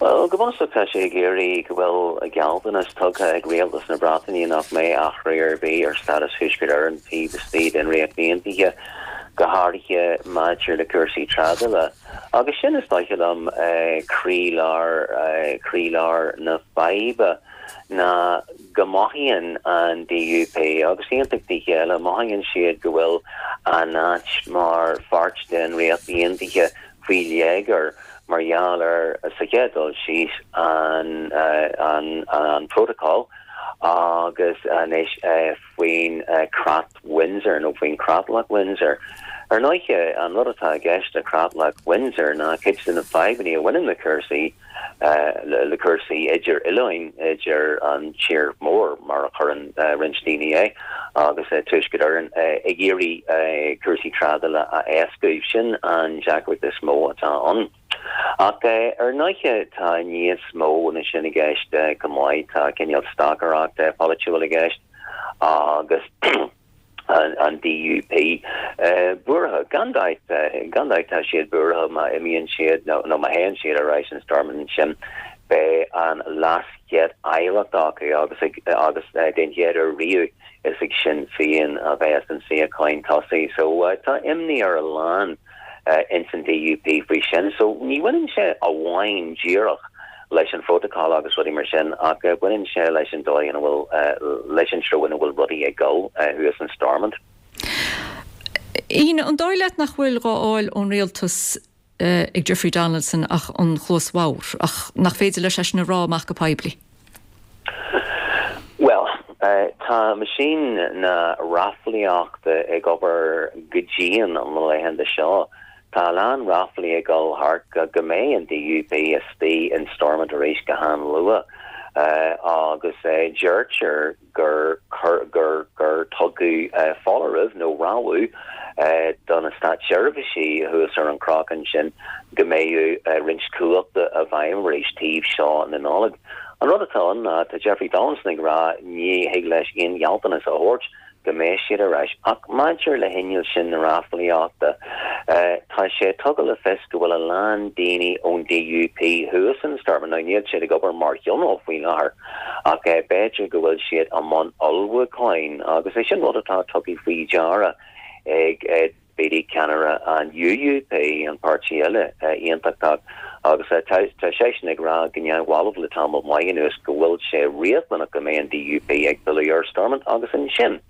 Speaker 12: Bhuel, go bunúsach tá sé ag iarraidh go bhfuil gealltanas tugtha ag Rialtas na Breataine nach mbeidh athrú ar bith ar stádas Thuaisceart Éireann taobh istigh den Ríocht Aontaithe, go háirithe maidir le cúrsaí trádála. Agus sin, is dóiche liom, croílár, croílár na faidhbe ná go mothaíonn an DUP agus aontachtaithe eile, mothaíonn siad go bhfuil a n-áit mar pháirt den Ríocht Aontaithe faoi léigear mar gheall ar, sa chéad dul síos, an an Protocol agus anois faoin Creat Windsor nó faoin Creatlach Windsor. Ar ndóighe, an rud atá i gceist le Creatlach Windsor ná cuid de na fadhbanna a bhaineann le cúrsaí le cúrsaí idir oileáin, idir an tír mór, mar a chuireann roinnt daoine é, agus Tuaisceart Éireann, ag iarraidh cúrsaí trádála a éascú. Sin an deacracht is mó atá ann. Ach ar ndóighe tá níos mó ná sin i gceist chomh maith. Tá cineál stocaireacht pholaitiúil i gceist agus. an DUP buartha. Gan dabht, gan dabht tá siad buartha má imíonn siad nó má théann siad ar ais in Stormont ansin beidh an leaschéad-aireacht acu agus agus den chéad uair riamh is ag Sinn Féin a bheas an suíochán tosaigh. So tá imní ar a lán ins an DUP faoi sin. So ní bhaineann sé amháin díreach leis an phrótacal agus rudaí mar sin ach baineann sé leis an dóigh ina bhfuil, leis an treo ina bhfuil rudaí ag dul thuas in Stormont.
Speaker 1: Ian, an dóigh leat nach bhfuil dhá fháil ón rialtas ag Jeffrey Donaldson ach an chluas bhodhar, ach nach féidir leis é sin a rá amach go poiblí?
Speaker 12: Bhuel, tá meaisín na raflaíochta ag obair go dian na laethanta seo. Tá a lán ráflaí ag dul thart go mbeidh an DUP istigh in Stormont arís go han-luath agus deirtear gur gur gur tugadh foláireamh nó rabhadh do na státseirbhísigh thuas ar an chnoc ansin go mbeadh roinnt cumhachta i bhfeidhm arís taobh seo na Nollag. An rud atá ann ná tá Jeffrey Donaldson ag rá ní thig leis aon ghealltanas a thabhairt go mbeidh siad ar ais. Ach maidir le hinneall sin na raflaíochta, tá sé tugtha le fios go bhfuil a lán daoine ón DUP thuas in Stormont. Now níl siad ag obair mar thionól faoi láthair ach b'fhéidir go bhfuil siad i mbun ullmhúcháin agus é sin rud atá tugtha faoi deara ag Beattie, ceannaire an UUP, an páirtí eile aontachtach, agus tá seisean ag rá go neamhbhalbh le tamall maith anuas go bhfuil sé riachtanach go mbeidh an DUP ag filleadh ar Stormont agus ansin.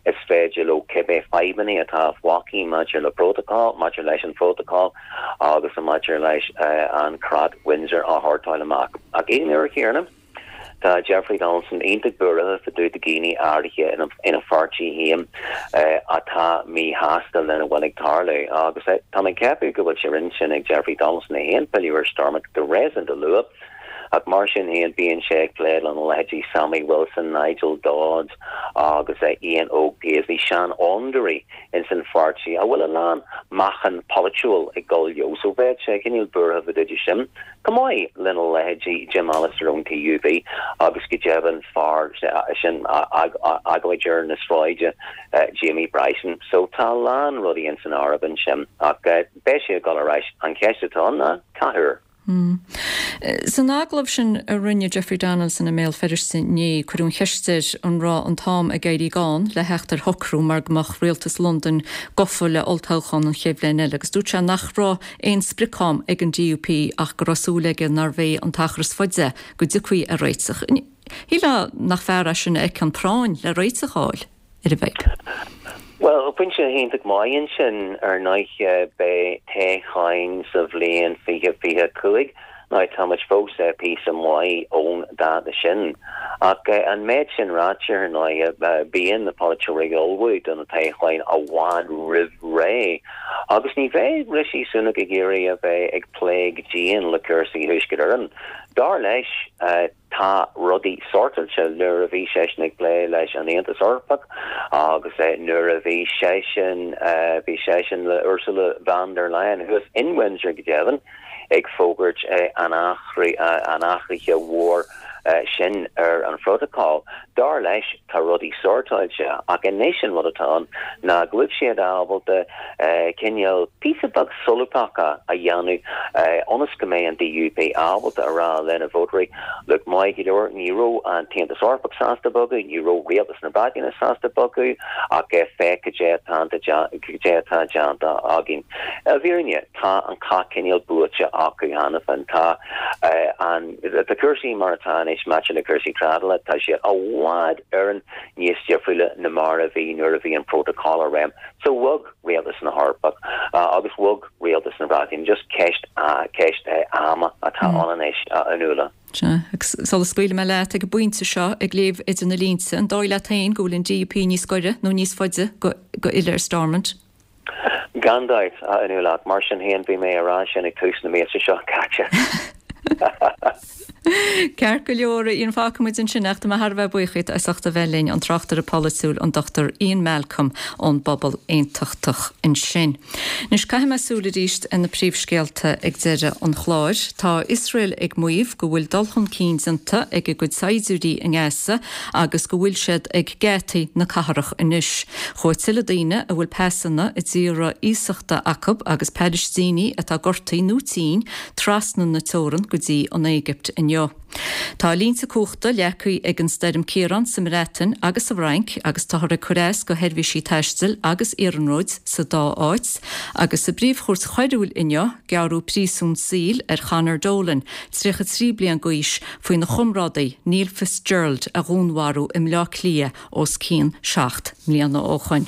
Speaker 12: Is féidir leo cibé fadhbanna atá fágtha maidir le protocol, maidir leis an phrotocol agus maidir leis an Creat Windsor a shórtáil amach. Ach ag an uair chéanna, tá Jeffrey Donaldson iontach buartha fá dtaobh de dhaoine áirithe ina pháirtí féin atá míshásta lena bhfuil ag tarlú. Agus tá mé ag ceapadh go bhfuil sé ar intinn ag Jeffrey Donaldson é féin pilleadh ar Stormont go réasúnta luath. Ach mar sin féin, bíonn sé ag plé lena leithéidí Sammy Wilson, Nigel Dodds agus Ian Óg Paisley, seanfhondúirí ins an pháirtí a bhfuil a lán meáchan polaitiúil ag dul leo. So bheadh sé cineál buartha fá dtaobh de sin, chomh maith lena leithéidí Jim Allister ón TUV agus go deimhin fear sin agóideoir na sráide Jamie Bryson. So tá a lán rudaí ins an áireamh ansin ach beidh sé ag dul ar ais. An cheist atá ann ná cá huair?
Speaker 1: San agallamh sin a rinne Jeffrey Donaldson i mBéal Feirste inné, cuireadh an cheist air an raibh an t-am ag éirí gann le theacht ar shocrú mar go mbeadh rialtas Londain gafa le olltoghchán an chéad bhliain eile agus dúirt sé nach raibh aon sprioc-am ag an DUP ach go raibh súil aige nárbh é an t-achar is faide go dtiocfaí ar réiteach. Shílfeá nach fear é sin a fheiceann práinn le réiteach a fháil. ar an bhfadhb.
Speaker 12: Bhuel, pointe iontach maith ansin. Ar ndóigh, beidh toghcháin sa bhliain 2025. Now, tá muid fós píosa maith ón dáta sin. Ach an méid sin ráite, ar ndóigh, bíonn na polaiteoirí ag ullmhú do na toghcháin i bhfad roimh ré. Agus ní bheidh Rishi Sunak ag iarraidh a bheith ag plé go dian le cúrsaí Thuaisceart Éireann. Dar leis, Tá rudaí sortáilte nuair a bhí seisean ag plé leis an Aontas Eorpach agus nuair a bhí seisean, bhí seisean le Ursula von der Leyen thuas in Windsor go deimhin ag fógairt an athraithe mhór sin ar an phrótacal. Dar leis tá rudaí sortáilte ach anois an rud atá ann ná go bhfuil siad ábalta cineál píosa beag solúbthachta a dhéanamh ionas go mbeidh an DUP ábalta a rá lena vótóirí, look, maith go leor, ní raibh an tAontas Eorpach sásta bogadh, ní raibh rialtas na Breataine sásta bogadh ach féach cad é atá déanta againn. I bhfírinne, tá an cath cineál buaite acu cheana féin. Tá an, tá cúrsaí mar atá anois maidir le cúrsaí trádála, tá siad i bhfad Éireann níos difriúla ná mar a bhí nuair a bhí an prótacal i réim. So bhog rialtas na hEorpach agus bhog rialtas na Breataine. Just ceist, ceist ama atá ann anois, a Fhionnuala.
Speaker 1: Sea, agus sula scaoilfidh mé leat ag an bpointe seo, ag léamh idir na línte, an dóigh leat féin go bhfuil an DUP níos gaire nó níos faide go fhilleadh ar Stormont?
Speaker 12: Gan dabht, a Fhionnuala, ach mar sin féin bhí mé a rá sin ag tús na míosa seo caite.
Speaker 1: Ceart go leor, a Ian, fágfaidh muid ansin ach tá mé thar a bheith buíoch díot as ucht a bheith linn, an tráchtaire polaitiúil, an Dr Ian Malcolm ón bPobal Aontachtach ansin. Anois caithfidh mé súil arís ar na príomhscéalta ag deireadh an chláir. Tá Iosrael ag maíomh go bhfuil dul chun cinn déanta ag a gcuid saighdiúirí i nGaza agus go bhfuil siad ag geataí na cathrach anois. Chuaigh tuilleadh daoine a bhfuil pasanna i dtíortha iasachta acu agus Palaistínigh atá gortaithe nó tinn trasna na teorann go dtí an Éigipt inniu. Tá línte cumhachta leagtha ag an stoirm Ciarán sa mBreatain agus sa bhFrainc agus táthar ag cur as go sheirbhísí taistil agus iarnróid sa dá áit agus sa bPríomh-Chúirt Choiriúil inniu gearradh príosún saoil ar Chonor Dolan, 33 bliain d'aois, faoina chomrádaí Neil Fitzgerald a dhúnmharú i mBleá Cliath os cionn 7 mbliana ó shoin.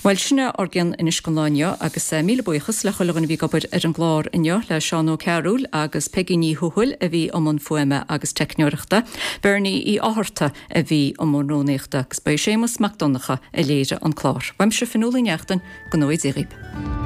Speaker 1: Bhuel, sin é ár gcion anois don lá inniu agus míle buíochas le chuile dhuine a bhí ag obair ar an gclár inniu, le Seán Ó Cearúil agus Peigí Ní Thuathail a bhí i mbun fuaime agus teicneoireachta, Bernie Uí Fhátharta a bhí i mbun rúnaíochta agus ba é Séamus Mac Donncha a léirigh an clár. Uaimse Fionnuala Ní Neachtain, go ngnóthaí Dia dhaoib.